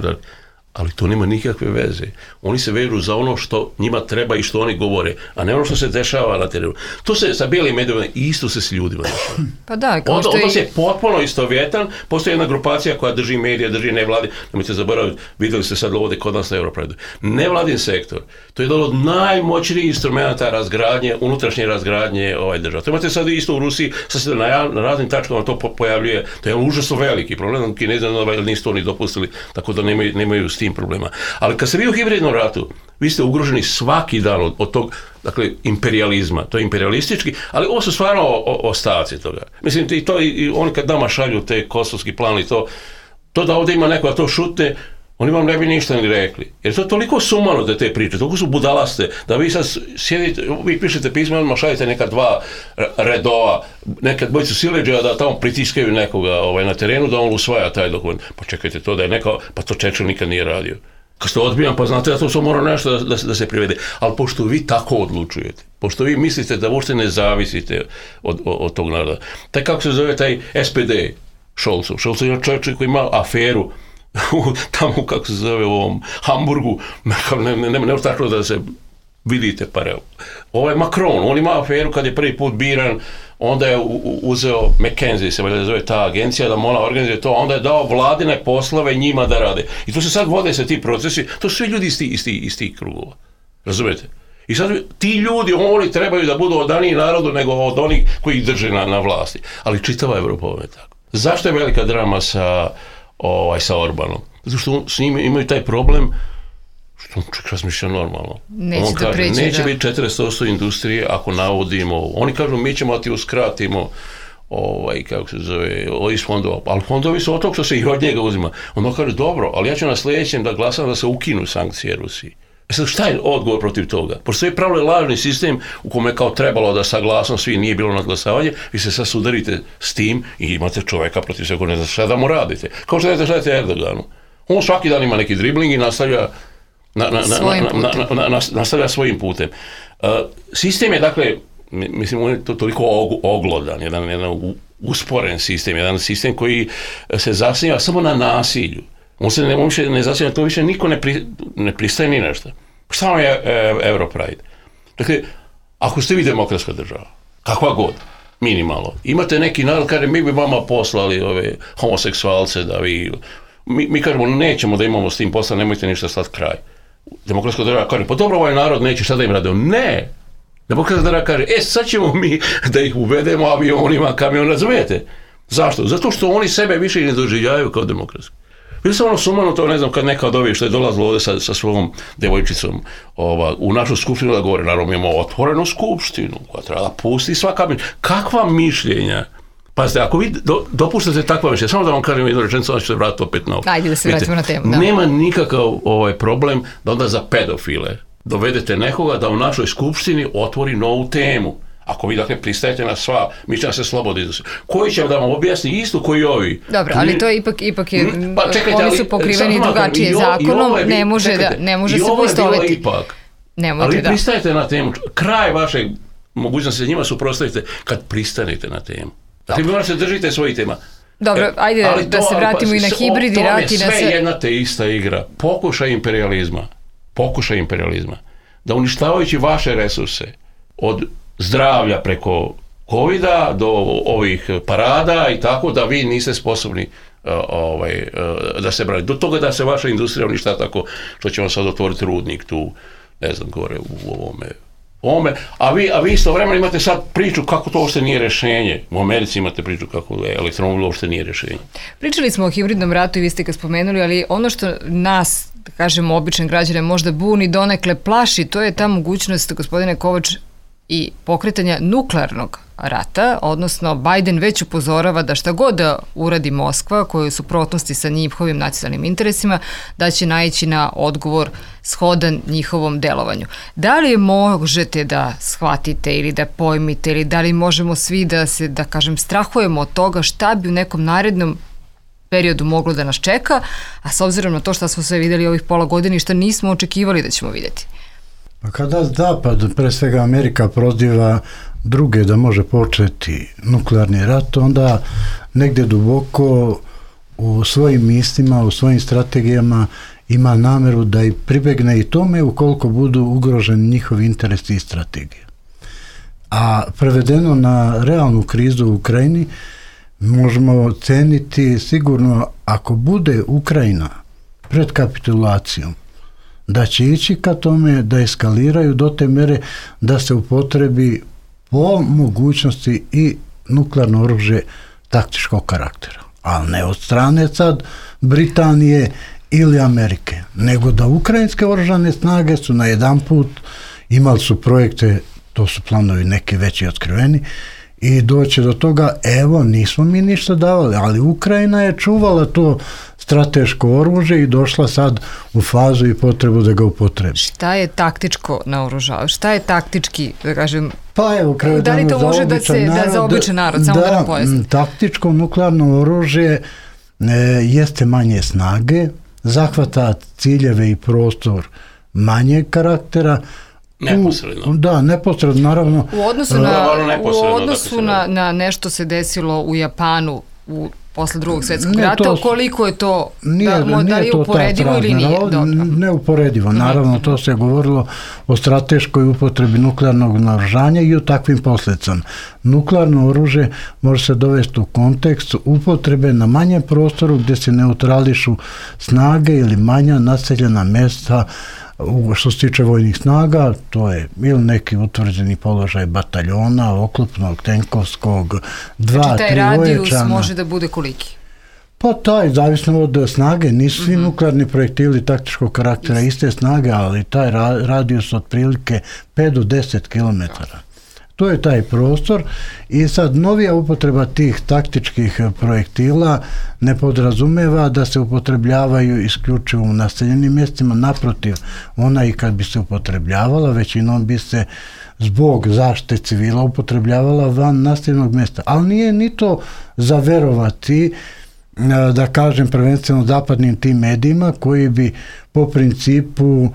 Ali to nema nikakve veze. Oni se vežu za ono što njima treba i što oni govore, a ne ono što se dešava na terenu. To se sa bijelim medvedima isto se s ljudima dešava. Pa da, Onda se potpuno istovjetan, postoji jedna grupacija koja drži medije, drži nevladin, nemojte zaboraviti, vidjeli ste sad ovdje kod nas na Europredu. Nevladin sektor, to je jedan od najmoćnijih instrumenta razgradnje, unutrašnje razgradnje država. To imate sad isto u Rusiji, sad se na raznim tačkama to pojavljuje, to je užasno veliki problem, Kinezi nisu to ni dopustili, tako da nemaju s tim problema. Ali kad se vi u hibridnom ratu, vi ste ugroženi svaki dan od tog, dakle, imperializma. To je imperialistički, ali ovo su stvarno ostaci toga. Mislim, i oni kad nama šalju te kosovski plan i to da ovdje ima neko da to šutne, oni vam ne bi ništa ni rekli. Jer to je toliko sumano da te priče, toliko su budalaste, da vi sad sjedite, vi pišete pismo, odmah šaljete neka 2 redova, neka dvojicu sileđa da tamo pritiskaju nekoga na terenu, da on usvaja taj dokument. Pa čekajte, to da je neka, pa to Churchill nikad nije radio. Kad ste odbijan, pa znate da to mora nešto da se privede. Ali pošto vi tako odlučujete, pošto vi mislite da uopšte ne zavisite od tog naroda, taj kako se zove taj SPD, Scholz je čovjek koji ima aferu tamo, kako se zove, u ovom Hamburgu, ne tako da se vidite pare. Ovaj Macron, on ima aferu kad je prvi put biran, onda je uzeo McKinsey, se valjda zove ta agencija, da ona organizuje to, onda je dao vladine poslove njima da rade. I to se sad vode se ti procesi, to su svi ljudi iz tih krugova. Razumete? I sad ti ljudi, oni trebaju da budu odaniji narodu nego od onih koji ih drže na vlasti. Ali čitava Evropa je tako. Zašto je velika drama sa Orbanom? Zato što s njim imaju taj problem što on čak razmišlja normalno. Neće biti 40% industrije ako navodimo. Oni kažu mi ćemo ti uskratimo kako se zove, iz fondova. Ali fondovi su od toga što se i od njega uzima. Ono kaže dobro, ali ja ću na sljedećem da glasam da se ukinu sankcije Rusiji. Sad šta je odgovor protiv toga? Pošto je pravilo lažni sistem u kome je kao trebalo da saglasno svi nije bilo nadglasavanje, vi se sad sudarite s tim i imate čoveka protiv svega, ne znate šta da mu radite. Kao što ne znate Erdoganu. On svaki dan ima neki dribling i nastavlja svojim putem. Sistem je, dakle, mislim, on je toliko oglodan, jedan usporen sistem, jedan sistem koji se zasniva samo na nasilju. On se ne zasniva, to više niko ne pristaje ni nešto. Šta vam je Europride? Dakle, ako ste vi demokratska država, kakva god, minimalno, imate neki narod, kaže, mi bi vama poslali ove homoseksualce da vi... Mi kažemo, nećemo da imamo s tim posla, nemojte ništa stati kraj. Demokratska država kaže, pa dobro, ovaj narod neće, šta da im rade? Ne! Demokratska država kaže, sad ćemo mi da ih uvedemo avionima, kamion, razumijete? Zašto? Zato što oni sebe više ne doživljavaju kao demokratski. Bilo sam sumano to, ne znam, kad neka od ovih što je dolazilo ovdje sa svojom devojčicom u našu skupštinu da govore, naravno mi imamo otvorenu skupštinu koja treba da pusti svaka mišljenja. Kakva mišljenja? Pazite, ako vi dopuštate takva mišljenja, samo da vam kažem jednu rečenicu, onda ću se vratiti opet na ovo. Ajde da se vratimo na temu. Da. Nema nikakav problem da onda za pedofile dovedete nekoga da u našoj skupštini otvori novu temu. Ako vi, dakle, pristajete na sva, mi će se slobodno iznositi. Koji će da vam objasni isto koji ovi? Dobro, ali to ipak je, oni su pokriveni drugačije zakonom, ne može se poistoviti. Ali pristajete na temu, kraj vašeg mogućnosti se njima suprotstavite kad pristanete na temu. Dakle, vi morate se držite svojih tema. Dobro, ajde da se vratimo i na hibrid i rat i na sve. Sve jedna te ista igra. Pokušaj imperializma. Da uništavajući vaše resurse od zdravlja preko covida do ovih parada i tako da vi niste sposobni da se branite. Do toga da se vaša industrija uništa tako što ćemo sad otvoriti rudnik tu, ne znam, gore u ovome. A vi istovremeno imate sad priču kako to uopšte nije rješenje. U Americi imate priču kako elektromobil uopšte nije rješenje. Pričali smo o hibridnom ratu i vi ste ga spomenuli, ali ono što nas, da kažemo, običan građane možda buni, donekle plaši, to je ta mogućnost, gospodine Kovač, i pokretanja nuklearnog rata, odnosno Biden već upozorava da šta god da uradi Moskva, koja je u suprotnosti sa njihovim nacionalnim interesima, da će naići na odgovor shodan njihovom delovanju. Da li možete da shvatite ili da pojmite ili da li možemo svi da se, da kažem, strahujemo od toga šta bi u nekom narednom periodu moglo da nas čeka, a s obzirom na to što smo sve vidjeli ovih pola godine i što nismo očekivali da ćemo vidjeti? Kada Zapad, pre svega Amerika, proziva druge da može početi nuklearni rat, onda negdje duboko u svojim mislima, u svojim strategijama ima nameru da i pribegne i tome ukoliko budu ugroženi njihovi interesi i strategije. A prevedeno na realnu krizu u Ukrajini, možemo ceniti sigurno ako bude Ukrajina pred kapitulacijom, da će ići ka tome da eskaliraju do te mere da se upotrebi po mogućnosti i nuklearno oružje taktičkog karaktera. Ali ne od strane sad Britanije ili Amerike, nego da ukrajinske oružane snage su na jedan put imali su projekte, to su planovi neki veći otkriveni, i doće do toga, evo, nismo mi ništa davali, ali Ukrajina je čuvala to strateško oružje i došla sad u fazu i potrebu da ga upotrebi. Šta je taktičko naoružavanje? Šta je taktički, da kažem, pa evo, da li to može da za običan narod, samo da vam pojasnim? Taktičko nuklearno oružje jeste manje snage, zahvata ciljeve i prostor manjeg karaktera. Neposredno. Da, neposredno, naravno. U odnosu na nešto se desilo u Japanu posle drugog svjetskog rata, koliko je to, da li je uporedivo ili nije? Neuporedivo, naravno, to se govorilo o strateškoj upotrebi nuklearnog naoružanja i o takvim posljedicama. Nuklearno oružje može se dovesti u kontekst upotrebe na manjem prostoru gdje se neutrališu snage ili manja naseljena mjesta. Što se tiče vojnih snaga, to je ili neki utvrđeni položaj bataljona, oklopnog, tenkovskog, 2-3 ojačana. Znači taj radijus može da bude koliki? Pa taj, zavisno od snage, nisu svi nuklearni projektili taktičkog karaktera iste snage, ali taj radijus otprilike 5 do 10 km. To je taj prostor i sad novija upotreba tih taktičkih projektila ne podrazumeva da se upotrebljavaju isključivo u naseljenim mjestima, naprotiv, ona i kad bi se upotrebljavala, većinom bi se zbog zaštite civila upotrebljavala van naseljenog mjesta. Ali nije ni to za verovati, da kažem prvenstveno zapadnim tim medijima koji bi po principu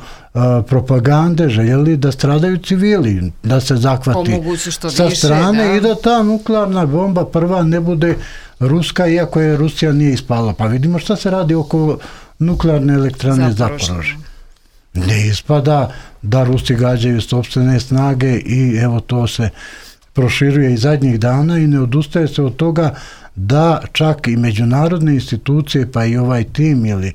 propagande željeli da stradaju civili, da se zahvati sa strane i da ta nuklearna bomba prva ne bude ruska, iako je Rusija nije ispala. Pa vidimo šta se radi oko nuklearne elektrane Zaporožje. Ne ispada da Rusi gađaju sopstvene snage i evo to se proširuje i zadnjih dana i ne odustaje se od toga da čak i međunarodne institucije, pa i ovaj tim ili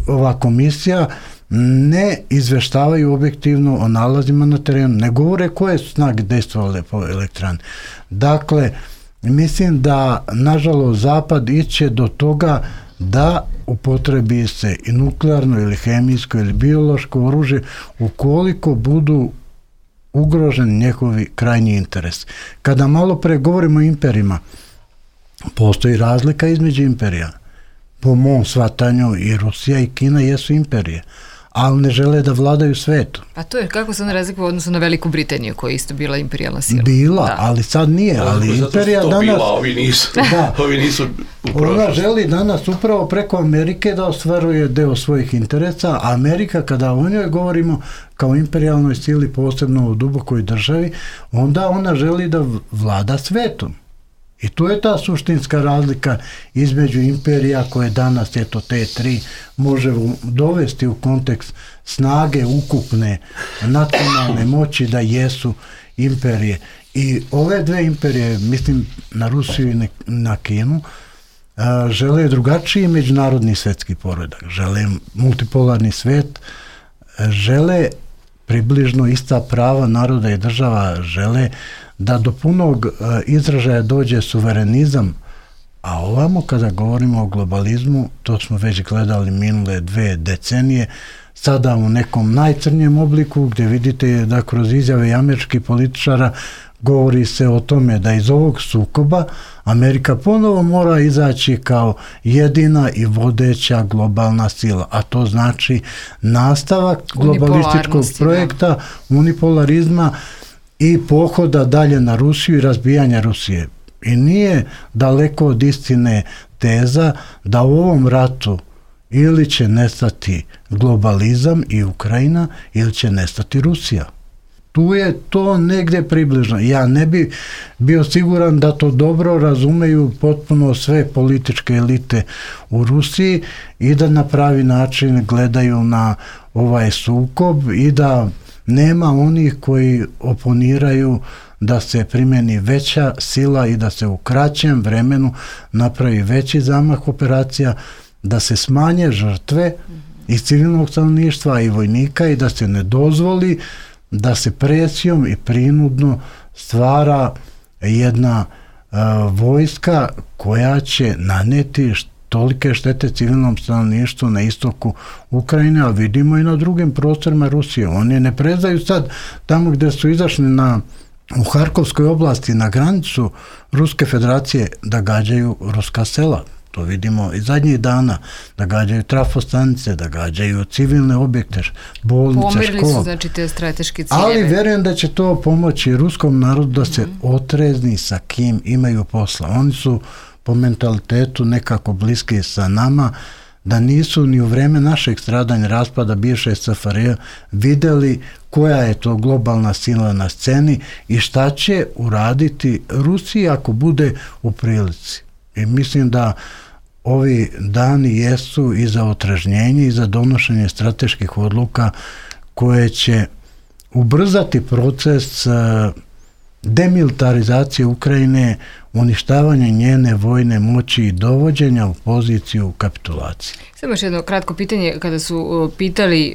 ova komisija ne izveštavaju objektivno o nalazima na terenu, ne govore koje su snage dejstvovale po elektrani. Dakle, mislim da nažalost Zapad iće do toga da upotrebi se i nuklearno ili hemijsko ili biološko oružje ukoliko budu ugroženi njihovi krajnji interes. Kada malo pre govorimo o imperijima, postoji razlika između imperija. Po mom shvatanju i Rusija i Kina jesu imperije, ali ne žele da vladaju svetu. A to je kako se ona razlikuje u odnosu na Veliku Britaniju, koja je isto bila imperijalna sila. Bila, da. Ali sad nije. Ali imperija danas... Bila, ovi nisu ona želi danas upravo preko Amerike da ostvaruje deo svojih interesa, a Amerika, kada o njoj govorimo kao imperijalnoj sili, posebno u dubokoj državi, onda ona želi da vlada svetom. I tu je ta suštinska razlika između imperija koje danas, eto te tri, može dovesti u kontekst snage ukupne nacionalne moći da jesu imperije. I ove dve imperije, mislim na Rusiju i na Kinu, žele drugačiji međunarodni svetski poredak, žele multipolarni svet, žele približno ista prava naroda i država, žele da do punog izražaja dođe suverenizam, a ovamo kada govorimo o globalizmu, to smo već gledali minule 2 decenije, sada u nekom najcrnjem obliku gdje vidite da kroz izjave američkih političara govori se o tome da iz ovog sukoba Amerika ponovo mora izaći kao jedina i vodeća globalna sila, a to znači nastavak globalističkog projekta, unipolarizma i pohoda dalje na Rusiju i razbijanja Rusije. I nije daleko od istine teza da u ovom ratu ili će nestati globalizam i Ukrajina ili će nestati Rusija. Tu je to negdje približno. Ja ne bi bio siguran da to dobro razumeju potpuno sve političke elite u Rusiji i da na pravi način gledaju na ovaj sukob i da nema onih koji oponiraju da se primjeni veća sila i da se u kraćem vremenu napravi veći zamah operacija, da se smanje žrtve iz civilnog stanovništva i vojnika i da se ne dozvoli da se presijom i prinudno stvara jedna vojska koja će naneti tolike štete civilnom stanovništvu na istoku Ukrajine, a vidimo i na drugim prostorima Rusije. Oni ne prezaju sad tamo gdje su izašli u Harkovskoj oblasti na granicu Ruske federacije da gađaju ruska sela. To vidimo i zadnjih dana, da gađaju trafostanice, da gađaju civilne objekte, bolnice, škole. Pomerili su, znači, te strateške ciljeve. Ali verujem da će to pomoći ruskom narodu da se otrezni sa kim imaju posla. Oni su po mentalitetu nekako bliski sa nama, da nisu ni u vreme našeg stradanja, raspada bivše SFRJ videli koja je to globalna sila na sceni i šta će uraditi Rusija ako bude u prilici. I mislim da ovi dani jesu i za otrežnjenje i za donošenje strateških odluka koje će ubrzati proces demilitarizacije Ukrajine, uništavanje njene vojne moći i dovođenja u poziciju kapitulacije. Samo još jedno kratko pitanje, kada su pitali,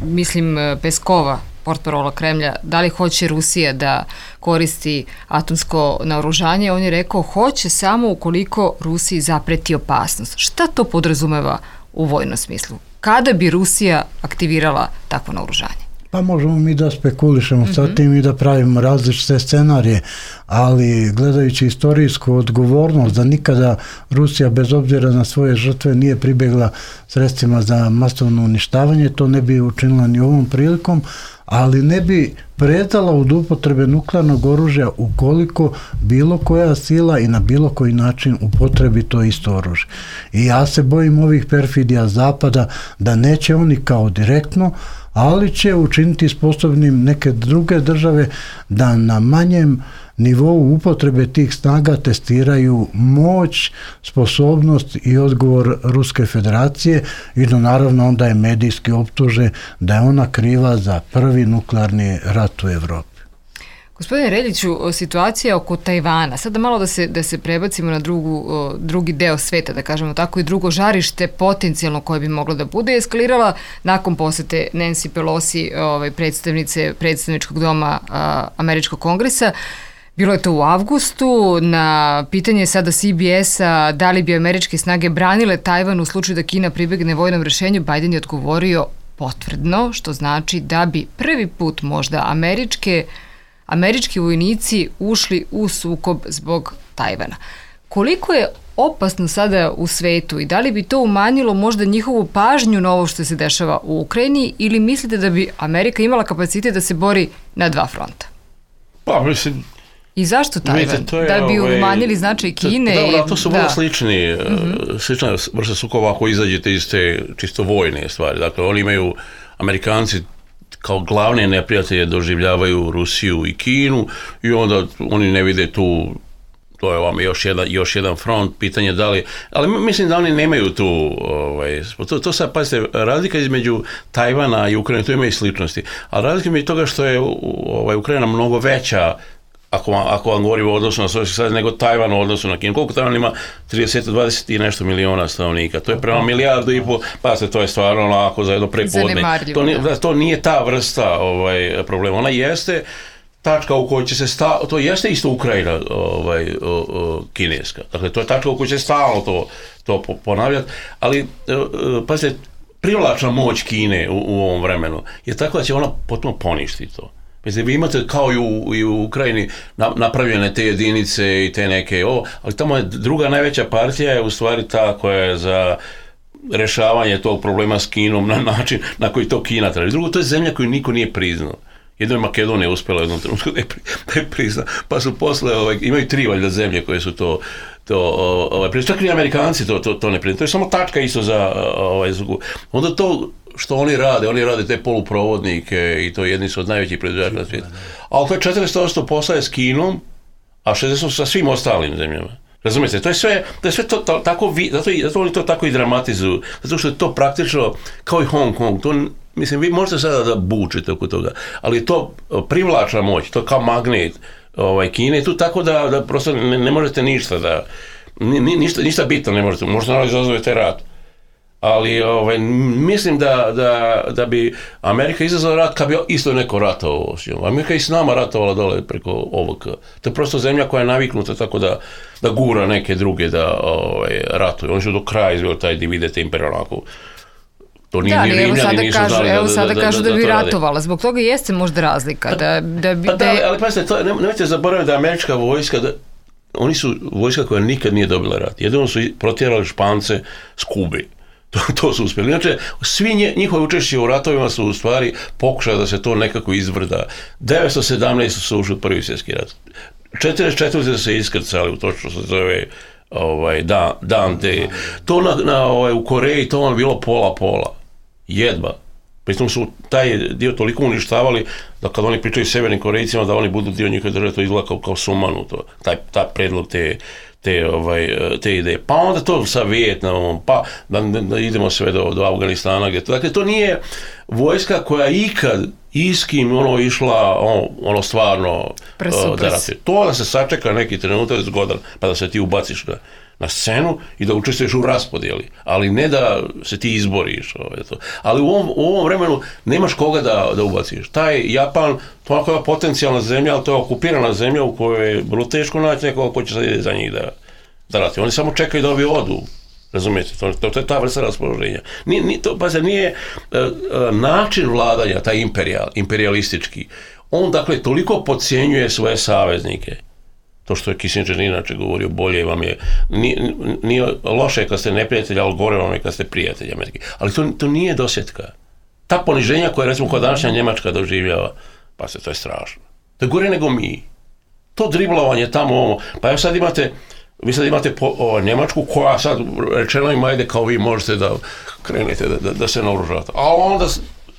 mislim, Peskova, portparola Kremlja, da li hoće Rusija da koristi atomsko naoružanje, on je rekao hoće samo ukoliko Rusiji zapreti opasnost. Šta to podrazumeva u vojnom smislu? Kada bi Rusija aktivirala takvo naoružanje? Pa možemo mi da spekulišemo sa tim i da pravimo različite scenarije, ali gledajući istorijsku odgovornost da nikada Rusija bez obzira na svoje žrtve nije pribjegla sredstvima za masovno uništavanje, to ne bi učinila ni ovom prilikom, ali ne bi predala od upotrebe nuklearnog oružja ukoliko bilo koja sila i na bilo koji način upotrebi to isto oružje. I ja se bojim ovih perfidija Zapada da neće oni kao direktno, ali će učiniti sposobnim neke druge države da na manjem nivou upotrebe tih snaga testiraju moć, sposobnost i odgovor Ruske federacije i da naravno onda je medijski optuže da je ona kriva za prvi nuklearni rat u Evropi. Gospodine Reljiću, situacija oko Tajvana, sada malo da se prebacimo na drugi deo sveta, da kažemo tako, i drugo žarište potencijalno koje bi moglo da bude, eskalirala nakon posete Nancy Pelosi, predstavnice predstavničkog doma Američkog kongresa. Bilo je to u avgustu. Na pitanje sada CBS-a da li bi američke snage branile Tajvan u slučaju da Kina pribegne vojnom rešenju, Biden je odgovorio potvrdno, što znači da bi prvi put možda američki vojnici ušli u sukob zbog Tajvana. Koliko je opasno sada u svetu i da li bi to umanjilo možda njihovu pažnju na ovo što se dešava u Ukrajini ili mislite da bi Amerika imala kapacitet da se bori na dva fronta? Pa, mislim... I zašto Tajvan? Da bi umanjili značaj Kine? Da, to su vrlo slična vrsta sukoba ako izađete iz te čisto vojne stvari. Dakle, oni imaju, Amerikanci kao glavne neprijatelje doživljavaju Rusiju i Kinu i onda oni ne vide tu, to je vam još jedan front, pitanje da li, ali mislim da oni nemaju tu, to sad, pazite, razlika između Tajvana i Ukrajine, tu ima i sličnosti, ali razlika između toga što je Ukrajina mnogo veća, ako vam govorimo o odnosu na Sovjetski savez, nego Tajvan u odnosu na Kinu. Koliko Tajvan ima? 20 i nešto miliona stanovnika. To je prema 1,5 milijardu, pa se to je stvarno onako za jedno prepodne. To nije ta vrsta problema. Ona jeste tačka u kojoj će se to jeste isto Ukrajina kineska. Dakle, to je tačka u kojoj će stalno to ponavljati, ali pazite, privlačna moć Kine u ovom vremenu je tako da će ona potpuno poništiti to. Mislim, vi imate kao i u Ukrajini napravljene te jedinice i te neke, ali tamo je druga najveća partija je u stvari ta koja je za rešavanje tog problema s Kinom na način na koji to Kina traži. Drugo, to je zemlja koju niko nije priznao. Jedno je Makedonija uspjela u jednom trenutku da je prizna, pa su posle, imaju 3 valjda zemlje koje su to čak i Amerikanci to ne priznaju. To je samo tačka isto za onda to što oni rade te poluprovodnike i to jedni su od najvećih proizvođača na svijetu. Ali to je 40% posla je s Kinom, a 60% sa svim ostalim zemljama. Razumijete, to je sve to tako, zato oni to tako i dramatizuju, zato što je to praktično kao i Hong Kong, to, mislim, vi možete sada da bučite oko toga, ali je to privlačna moć, to kao magnet Kine, tu tako da prosto ne možete ništa ništa bitno ne možete naravno izazovete rat. Ali mislim da bi Amerika izazvala rat kad bi isto neko ratovao. Amerika i s nama ratovala dole preko ovog. To je prosto zemlja koja je naviknuta tako da gura neke druge da ratuju. Oni su do kraja izveli taj dividete imperialnaku. To nije ni Rimljani nisu znali evo sada kažu da bi ratovala. Zbog toga jeste možda razlika. Ali pazite, nemojte zaboraviti da američka vojska oni su vojska koja nikad nije dobila rat. Jedino su protjerali Špance s Kube. To su uspjeli. Inače, svi njihove učešće u ratovima su u stvari pokušali da se to nekako izvrda. 917 su ušli u Prvi svjetski rat. 44 su se iskrcali u to što se zove dan D. To u Koreji to vam bilo pola. Jedva. Pritom su taj dio toliko uništavali da kad oni pričaju Severnim Korejcima da oni budu dio njihove države, to izgleda kao sumanuto. Taj predlog te ideje. Pa onda to sa Vijetnamom, pa da idemo sve do Afganistana. Dakle, to nije vojska koja ikad iskim išla stvarno da ratuje. To da se sačeka neki trenutak zgodan, pa da se ti ubaciš na scenu i da učestvuješ u raspodjeli, ali ne da se ti izboriš. Ali u ovom vremenu nemaš koga da ubaciš. Taj Japan, to je potencijalna zemlja, ali to je okupirana zemlja u kojoj je vrlo teško naći nekoga ko će sad ide za njih da rati. Oni samo čekaju da ovi odu. Razumijete? To je ta vrsta raspoloženja. Nije način vladanja, taj imperijalistički. On, dakle, toliko podcjenjuje svoje saveznike. To što je Kissinger inače govorio, bolje vam je, nije loše kad ste neprijatelji, ali gore vam je kad ste prijatelji Amerike. Ali to nije dosjetka. Ta poniženja koja, recimo, kod današnja Njemačka doživljava, pa to je strašno. To je gore nego mi. To driblovanje tamo, pa evo sad vi sad imate Njemačku koja sad rečeno im, ajde kao vi možete da krenete, da se naoružate. A onda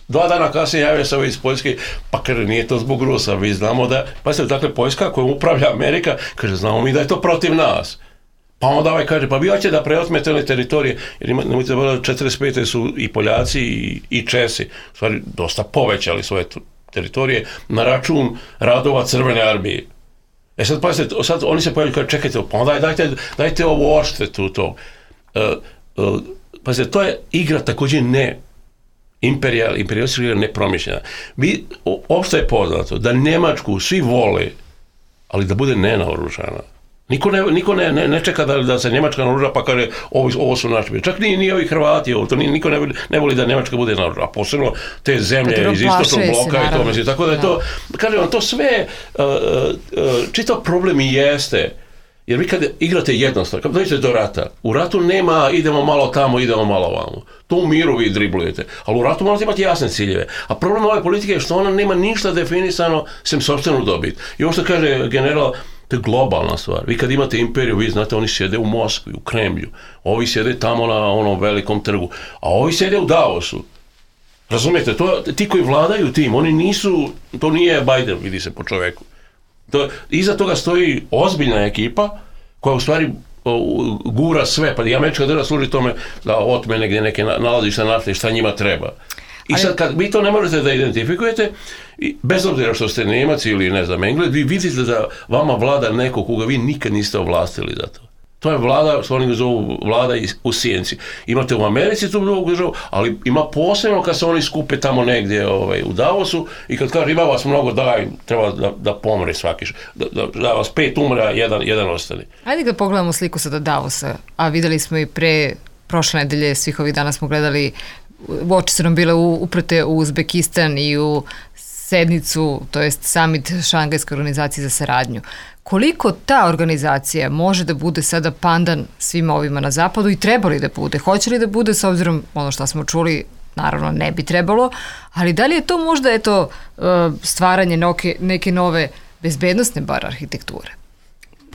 2 dana kasnije javio se iz Poljske, pa kaže, nije to zbog Rusa, vi znamo da, dakle, Poljska koja upravlja Amerika, kaže, znamo mi da je to protiv nas. Pa onda kaže, pa vi hoćete da preotmete one teritorije, jer nemojte da 45. su i Poljaci i Česi, u stvari, dosta povećali svoje teritorije na račun radova Crvene armije. Sad pazite, sad oni se pojavljaju, čekajte, pa onda dajte ovo odštetu to. Pazite, to je igra također imperialistička igra nepromišljena. Opšte je poznato da Njemačku svi vole, ali da bude nenaoružana. Niko ne čeka da se Njemačka naoruža pa kaže ovo su naši. Čak ni ovi Hrvati, niko ne voli da Njemačka bude naoružana, a posebno te zemlje iz istočnog bloka i to mislim. Tako da je to, kažem vam, to sve čitav problem i jeste. Jer vi kad igrate jednostavno, kad dođete do rata, u ratu nema idemo malo tamo, idemo malo ovamo. To u miru vi driblujete, ali u ratu morate imati jasne ciljeve. A problem ove politike je što ona nema ništa definisano sem sopstvenu dobit. I ovo što kaže general, to je globalna stvar. Vi kad imate imperiju, vi znate, oni sjede u Moskvi, u Kremlju, ovi sjede tamo na onom velikom trgu, a ovi sjede u Davosu. Razumijete, ti koji vladaju tim, oni nisu, to nije Biden, vidi se po čoveku. Iza toga stoji ozbiljna ekipa koja u stvari gura sve, pa i američka država služi tome da otme negdje neke nalazišta nafte i šta njima treba. I sad kad vi to ne možete da identifikujete, bez obzira što ste Nemac ili ne znam Englez, vi vidite da vama vlada neko koga vi nikad niste ovlastili za to. To je vlada, što oni zovu vlada u sjenci. Imate u Americi tu drugu državu, ali ima posebno kad se oni skupe tamo negdje u Davosu i kad kaže ima vas mnogo, treba da pomre svaki, da vas 5 umre, a jedan ostane. Ajde da pogledamo sliku sada Davosa, a videli smo i prošle nedelje, svih ovih dana smo gledali, oči su nam bile uprte u Uzbekistan i u sednicu, to jest summit Šangajske organizacije za saradnju. Koliko ta organizacija može da bude sada pandan svima ovima na zapadu i treba li da bude? Hoće li da bude, s obzirom ono što smo čuli, naravno ne bi trebalo, ali da li je to možda stvaranje neke nove bezbednostne bar arhitekture?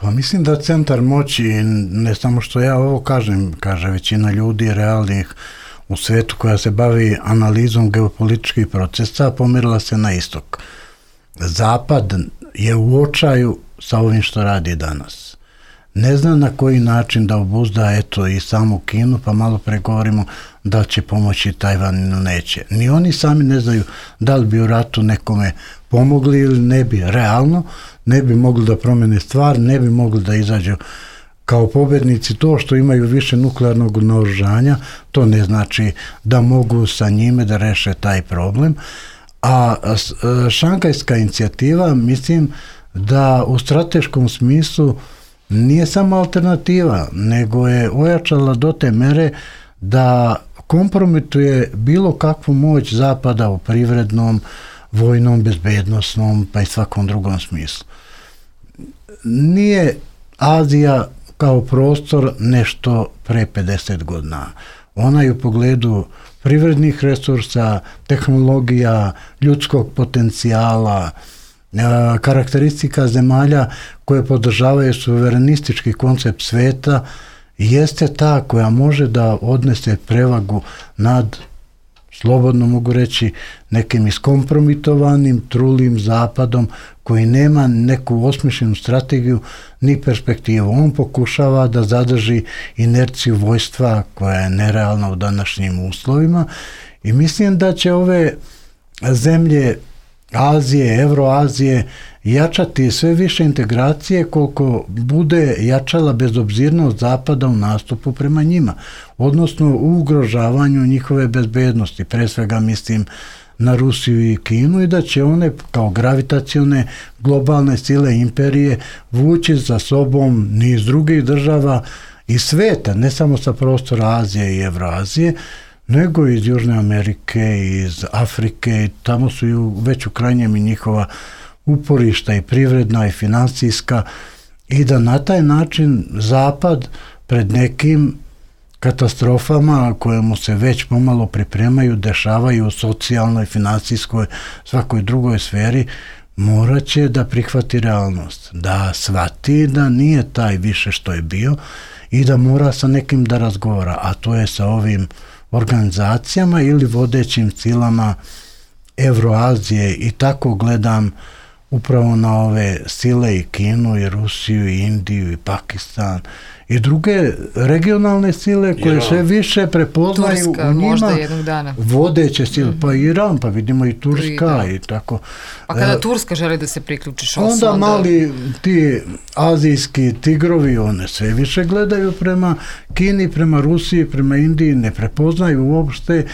Pa mislim da centar moći, ne samo što ja ovo kažem, kaže većina ljudi realnih u svetu koja se bavi analizom geopolitičkih procesa, pomerila se na istok. Zapad je u očaju sa ovim što radi danas. Ne zna na koji način da obuzda i samu Kinu, pa malo pregovorimo da će pomoći Tajvanu, neće. Ni oni sami ne znaju da li bi u ratu nekome pomogli ili ne bi. Realno ne bi mogli da promene stvar, ne bi mogli da izađu kao pobednici. To što imaju više nuklearnog naoružanja, to ne znači da mogu sa njime da reše taj problem. A Šangajska inicijativa, mislim da u strateškom smislu nije samo alternativa, nego je ojačala do te mere da kompromituje bilo kakvu moć Zapada u privrednom, vojnom, bezbednosnom, pa i svakom drugom smislu. Nije Azija kao prostor nešto pre 50 godina. Ona je u pogledu privrednih resursa, tehnologija, ljudskog potencijala, karakteristika zemalja koje podržavaju suverenistički koncept sveta, jeste ta koja može da odnese prevagu nad, slobodno mogu reći, nekim iskompromitovanim, trulim zapadom koji nema neku osmišljenu strategiju ni perspektivu. On pokušava da zadrži inerciju vojstva koja je nerealna u današnjim uslovima i mislim da će ove zemlje Azije, Evroazije jačati sve više integracije koliko bude jačala bezobzirnost Zapada u nastupu prema njima, odnosno u ugrožavanju njihove bezbednosti. Pre svega mislim na Rusiju i Kinu i da će one kao gravitacione globalne sile imperije vući za sobom niz drugih država i sveta, ne samo sa prostora Azije i Evroazije, nego iz Južne Amerike, iz Afrike, i tamo su već u krajnjem i njihova uporišta i privredna i financijska, i da na taj način Zapad pred nekim katastrofama koje mu se već pomalo pripremaju, dešavaju u socijalnoj, financijskoj, svakoj drugoj sferi, morat će da prihvati realnost, da shvati da nije taj više što je bio i da mora sa nekim da razgovara, a to je sa ovim organizacijama ili vodećim silama Evroazije, i tako gledam upravo na ove sile i Kinu i Rusiju i Indiju i Pakistan i druge regionalne sile koje sve više prepoznaju Turska, u njima vodeće sile, pa Iran, pa vidimo i Turska i tako. A kada Turska želi da se priključiš, onda mali ti azijski tigrovi, one sve više gledaju prema Kini, prema Rusiji, prema Indiji, ne prepoznaju uopšte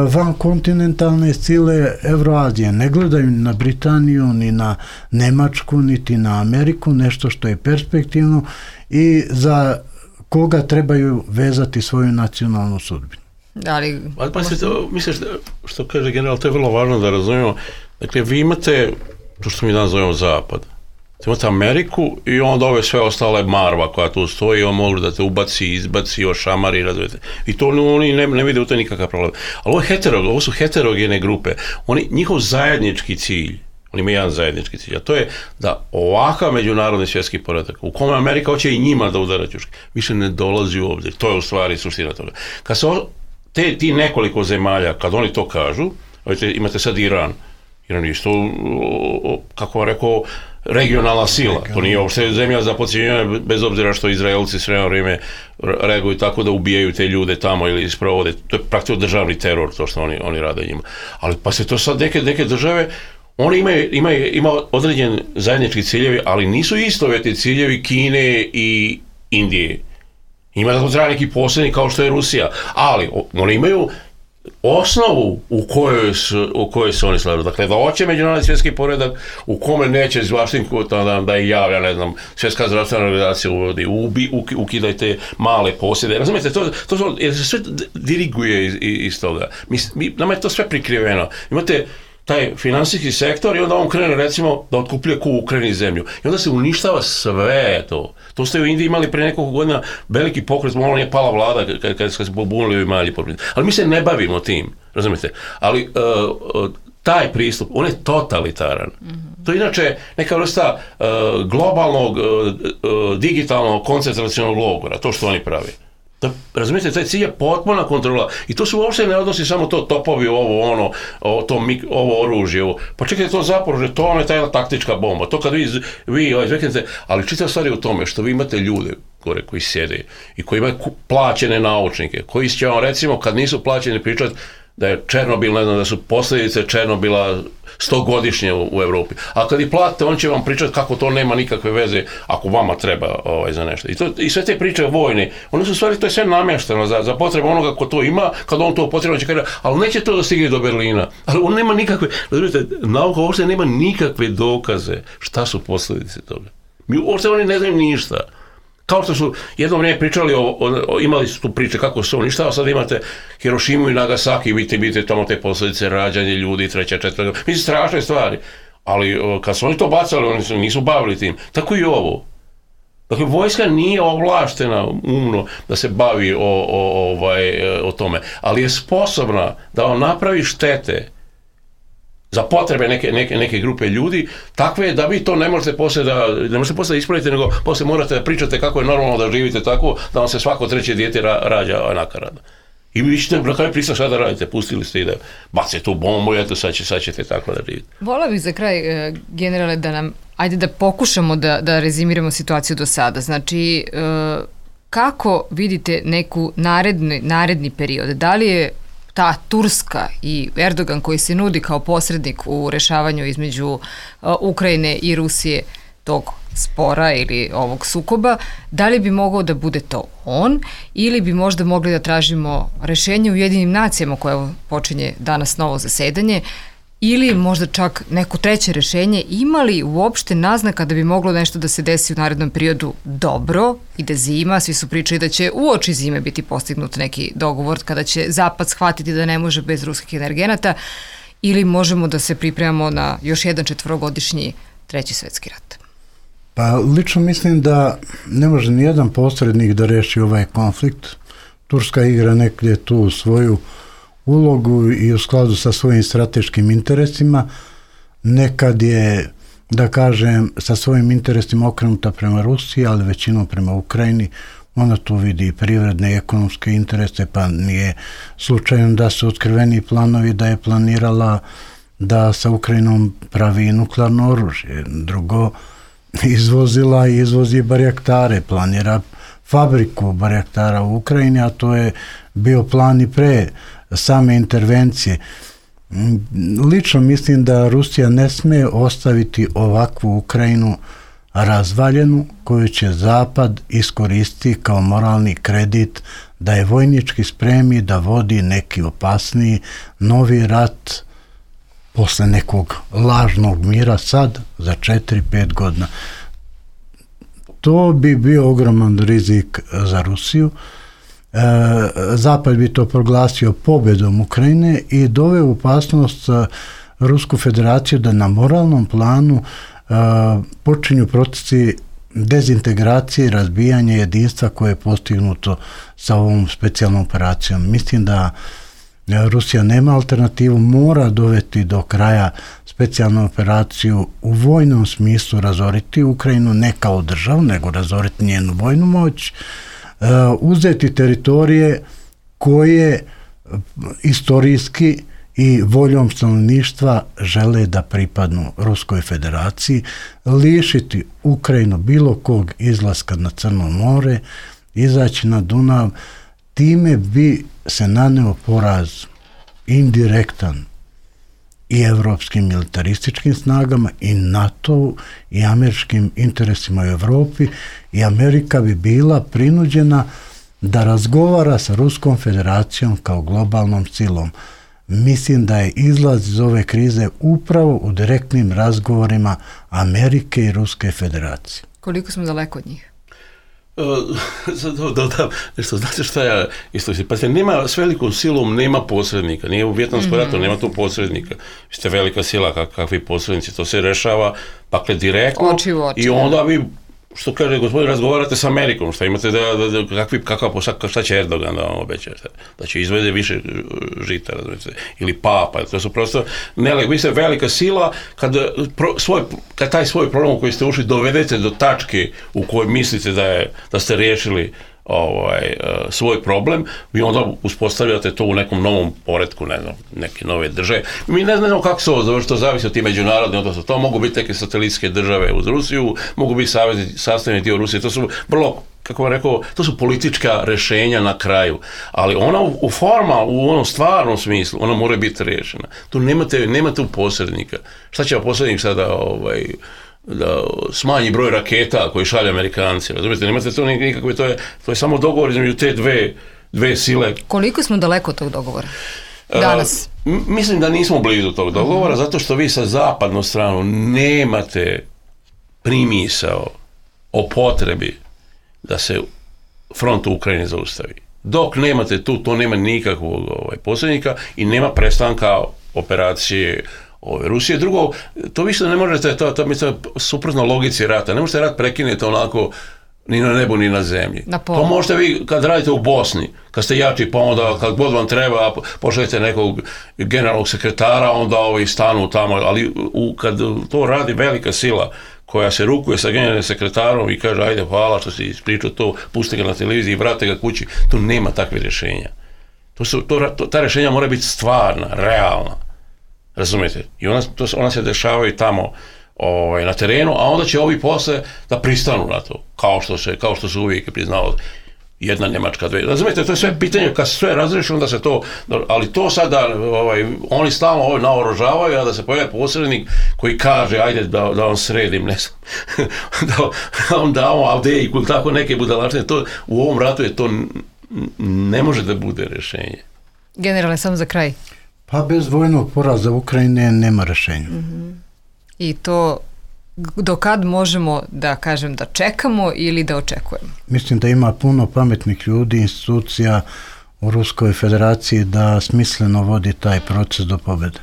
van kontinentalne sile Evroazije, ne gledaju ni na Britaniju, ni na Nemačku, niti na Ameriku, nešto što je perspektivno i za koga trebaju vezati svoju nacionalnu sudbinu. Misliš, što kaže general, to je vrlo važno da razumijemo. Dakle, vi imate to što mi danas zovemo Zapad. Imate Ameriku i onda ove sve ostale marva koja tu stoji, on može da te ubaci, izbaci, ošamari, razumijete. I to oni ne vide u to nikakav problem. Ali ovo su heterogene grupe. Njihov zajednički cilj, oni imaju jedan zajednički cilj, a to je da ovakav međunarodni svjetski poredak, u kome Amerika hoće i njima da udara ćuške, više ne dolazi u obzir. To je u stvari suština toga. Kad se ti nekoliko zemalja, kad oni to kažu, imate sad Iran je isto, kako vam rekao, regionalna sila. To nije uopšte zemlja za podcjenjivanje, bez obzira što Izraelci sve vrijeme reaguju tako da ubijaju te ljude tamo ili isprovode. To je praktično državni teror, to što oni rade njima. Ali pa se to sad neke države, oni imaju određen zajednički ciljevi, ali nisu istovjetni ciljevi Kine i Indije. Ima da to treba neki posebni kao što je Rusija, ali oni imaju osnovu u kojoj se oni slažu. Dakle, da hoće međunarodni svjetski poredak u kome neće iz Vašingtona da je javlja, ne znam, svjetska zdravstvena organizacija uvodi, ukidajte male posjede. Razumijete, to se sve diriguje iz toga. Nama je to sve prikriveno. Imate taj finansijski sektor i onda on krene, recimo, da otkupljuje u Ukrajini zemlju. I onda se uništava sve to. To ste u Indiji imali pre nekoliko godina veliki pokret, malo nije pala vlada kad se pobunili ovi mali pokret. Ali mi se ne bavimo tim, razumijete? Ali taj pristup, on je totalitaran. To je inače neka vrsta globalnog, digitalnog, koncentracionog logora, to što oni pravi. Razumijete, taj cilj je potpuna kontrola i to se uopšte ne odnosi samo to topovi, ovo oružje, pa čekajte, to Zaporožje, to vam je ta jedna taktička bomba, to kad vi izveknete, ali čitav stvar je u tome što vi imate ljude gore koji sjede i koji imaju plaćene naučnike, koji će vam, recimo, kad nisu plaćeni pričati da je Černobil, ne znam, da su posljedice Černobila 100-godišnje u Evropi. A kad ih platite, on će vam pričati kako to nema nikakve veze ako vama treba za nešto. I sve te priče vojne, one su stvari, to je sve namješteno za potrebe onoga ko to ima, kad on to potrebno će kaže, ali neće to da stigne do Berlina. Ali on nema nikakve, nauka uopšte nema nikakve dokaze šta su posljedice toga. Uopšte oni ne znaju ništa. Kao što su jedno vrijeme pričali, imali su tu priče kako se uništava, sad imate Hirošimu i Nagasaki, vidite tamo te posljedice, rađanje ljudi, 3., 4. Mislim, strašne stvari. Ali kad su oni to bacali, oni nisu bavili tim. Tako i ovo. Dakle, vojska nije ovlaštena umno da se bavi o tome, ali je sposobna da on napravi štete za potrebe neke grupe ljudi, takve da vi to ne možete poslije da ispravite, nego poslije morate da pričate kako je normalno da živite tako, da vam se svako treće dijete rađa nakaradno. I vi ćete na kraju pristati šta da radite, pustili ste i da bacite tu bombu, eto sad ćete tako da živite. Volila bih za kraj, generale, da nam, ajde da pokušamo da rezimiramo situaciju do sada. Znači, kako vidite neku naredni period? Da li je ta Turska i Erdogan koji se nudi kao posrednik u rešavanju između Ukrajine i Rusije tog spora ili ovog sukoba, da li bi mogao da bude to on ili bi možda mogli da tražimo rešenje u Ujedinjenim nacijama koje počinje danas novo zasedanje ili možda čak neko treće rešenje, ima li uopšte naznaka da bi moglo nešto da se desi u narednom periodu dobro, ide zima, svi su pričali da će uoči zime biti postignut neki dogovor kada će Zapad shvatiti da ne može bez ruskih energenata, ili možemo da se pripremamo na još jedan 4-godišnji Treći svetski rat? Pa lično mislim da ne može nijedan posrednik da reši ovaj konflikt. Turska igra negdje tu svoju ulogu i u skladu sa svojim strateškim interesima. Nekad je, da kažem, sa svojim interesima okrenuta prema Rusiji, ali većinom prema Ukrajini. Ona tu vidi i privredne i ekonomske interese, pa nije slučajno da su otkriveni planovi da je planirala da sa Ukrajinom pravi nuklearno oružje. Drugo, izvozila i izvozi barjaktare, planira fabriku barjaktara u Ukrajini, a to je bio plan i pre same intervencije. Lično mislim da Rusija ne sme ostaviti ovakvu Ukrajinu razvaljenu, koju će Zapad iskoristiti kao moralni kredit da je vojnički spremi da vodi neki opasniji novi rat posle nekog lažnog mira sad za 4-5 godina. To bi bio ogroman rizik za Rusiju. Zapad bi to proglasio pobedom Ukrajine i doveo u opasnost Rusku federaciju da na moralnom planu počinju procesi dezintegracije i razbijanja jedinstva koje je postignuto sa ovom specijalnom operacijom. Mislim da Rusija nema alternativu, mora dovesti do kraja specijalnu operaciju u vojnom smislu, razoriti Ukrajinu ne kao državu, nego razoriti njenu vojnu moć, uzeti teritorije koje istorijski i voljom stanovništva žele da pripadnu Ruskoj federaciji, lišiti Ukrajinu bilo kog izlaska na Crno more, izaći na Dunav. Time bi se naneo poraz indirektan i evropskim militarističkim snagama i NATO i američkim interesima u Evropi, i Amerika bi bila prinuđena da razgovara sa Ruskom federacijom kao globalnom silom. Mislim da je izlaz iz ove krize upravo u direktnim razgovorima Amerike i Ruske federacije. Koliko smo daleko od njih? Nešto, znate šta ja isto mislim, pa nema, s velikom silom nema posrednika, nije u Vijetnamskom ratu, nema tu posrednika, vi ste velika sila, kakvi posrednici, to se rešava, dakle, direktno, oči u oči, i onda vi, što kaže gospodin, razgovarate s Amerikom, šta imate šta će Erdogan da vam obeća, da će izvede više žita, ili papa, to su prosto, vi ste velika sila, kad taj svoj problem u koji ste ušli dovedete do tačke u kojoj mislite da ste riješili svoj problem, vi onda uspostavljate to u nekom novom poretku, ne znam, neke nove države. Mi ne znamo kako se ovo završi, to zavisi od ti međunarodne, odnosno to mogu biti neke satelitske države uz Rusiju, mogu biti sastavni dio Rusije, to su vrlo, kako vam rekao, to su politička rešenja na kraju, ali ona u onom stvarnom smislu, ona mora biti rešena. Tu nemate posrednika. Šta će posrednik sada da smanji broj raketa koji šalju Amerikanci, razumijete, nemate to nikakve, to je samo dogovor između te dve sile. Koliko smo daleko od tog dogovora danas? Mislim da nismo blizu tog dogovora, zato što vi sa zapadnom stranom nemate primisao o potrebi da se front u Ukrajini zaustavi. Dok nemate tu, to nema nikakvog posrednika i nema prestanka operacije Rusije. Drugo, to više ne možete, to je suprotno logici rata. Ne možete rat prekinuti onako ni na nebu, ni na zemlji. To možete vi kad radite u Bosni, kad ste jači, pa onda kad god vam treba, pošaljete nekog generalnog sekretara, onda ovi stanu tamo, ali kad to radi velika sila, koja se rukuje sa generalnim sekretarom i kaže, ajde, hvala što si ispričao to, pusti ga na televiziji i vrate ga kući, tu nema takve rješenja. Ta rješenja mora biti stvarna, realna. Razumijete? I ona se dešavaju tamo na terenu, a onda će ovi posle da pristanu na to, kao što se uvijek priznalo jedna Njemačka, dve. Razumijete, to je sve pitanje, kad se sve razreši, onda se to, ali to sada, oni stalno naoružavaju, a da se pojavi posrednik koji kaže, ajde da vam sredim, ne znam, da vam damo Avdejku, tako neke budalačne, u ovom ratu je to ne može da bude rješenje. Generalne, samo za kraj. Pa bez vojnog poraza Ukrajine nema rješenja. I to do kad možemo da kažem da čekamo ili da očekujemo? Mislim da ima puno pametnih ljudi, institucija u Ruskoj federaciji da smisleno vodi taj proces do pobjede.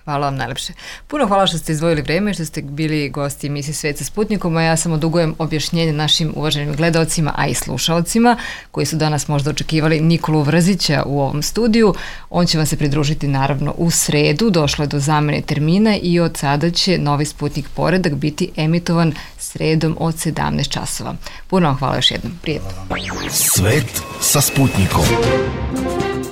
Hvala vam najlepše. Puno hvala što ste izdvojili vreme, što ste bili gosti emisije Svet sa Sputnikom, a ja samo dugujem objašnjenje našim uvaženim gledaocima, a i slušaocima, koji su danas možda očekivali Nikolu Vrzića u ovom studiju. On će vam se pridružiti naravno u sredu, došlo je do zamene termina i od sada će novi Sputnik Poredak biti emitovan sredom od 17 časova. Puno vam hvala još jednom. Prijetno. Svet sa Sputnikom.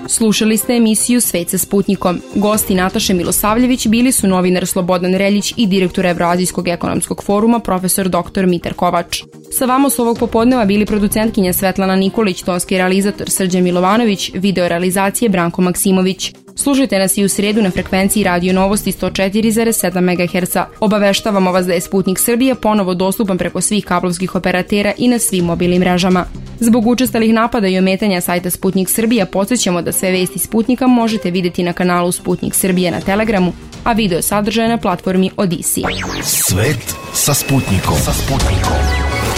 Slušali ste emisiju Svet sa Sputnikom. Gosti Nataše Milosavljević bili su novinar Slobodan Reljić i direktor Evroazijskog ekonomskog foruma profesor dr. Mitar Kovač. Sa vama su ovog popodneva bili producentkinja Svetlana Nikolić, tonski realizator Srđan Milovanović, video realizacije Branko Maksimović. Slušajte nas i u sredu na frekvenciji Radio Novosti 104,7 MHz. Obaveštavamo vas da je Sputnik Srbija ponovo dostupan preko svih kablovskih operatera i na svim mobilnim mrežama. Zbog učestalih napada i ometanja sajta Sputnik Srbija podsjećamo da sve vesti Sputnika možete vidjeti na kanalu Sputnik Srbije na Telegramu, a video sadržaje na platformi Odisi. Svet sa Sputnikom.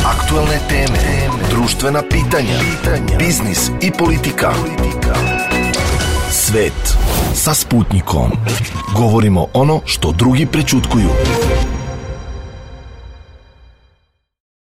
Aktualne teme, društvena pitanja, biznis i politika. Svet sa Sputnikom. Govorimo ono što drugi prećutkuju.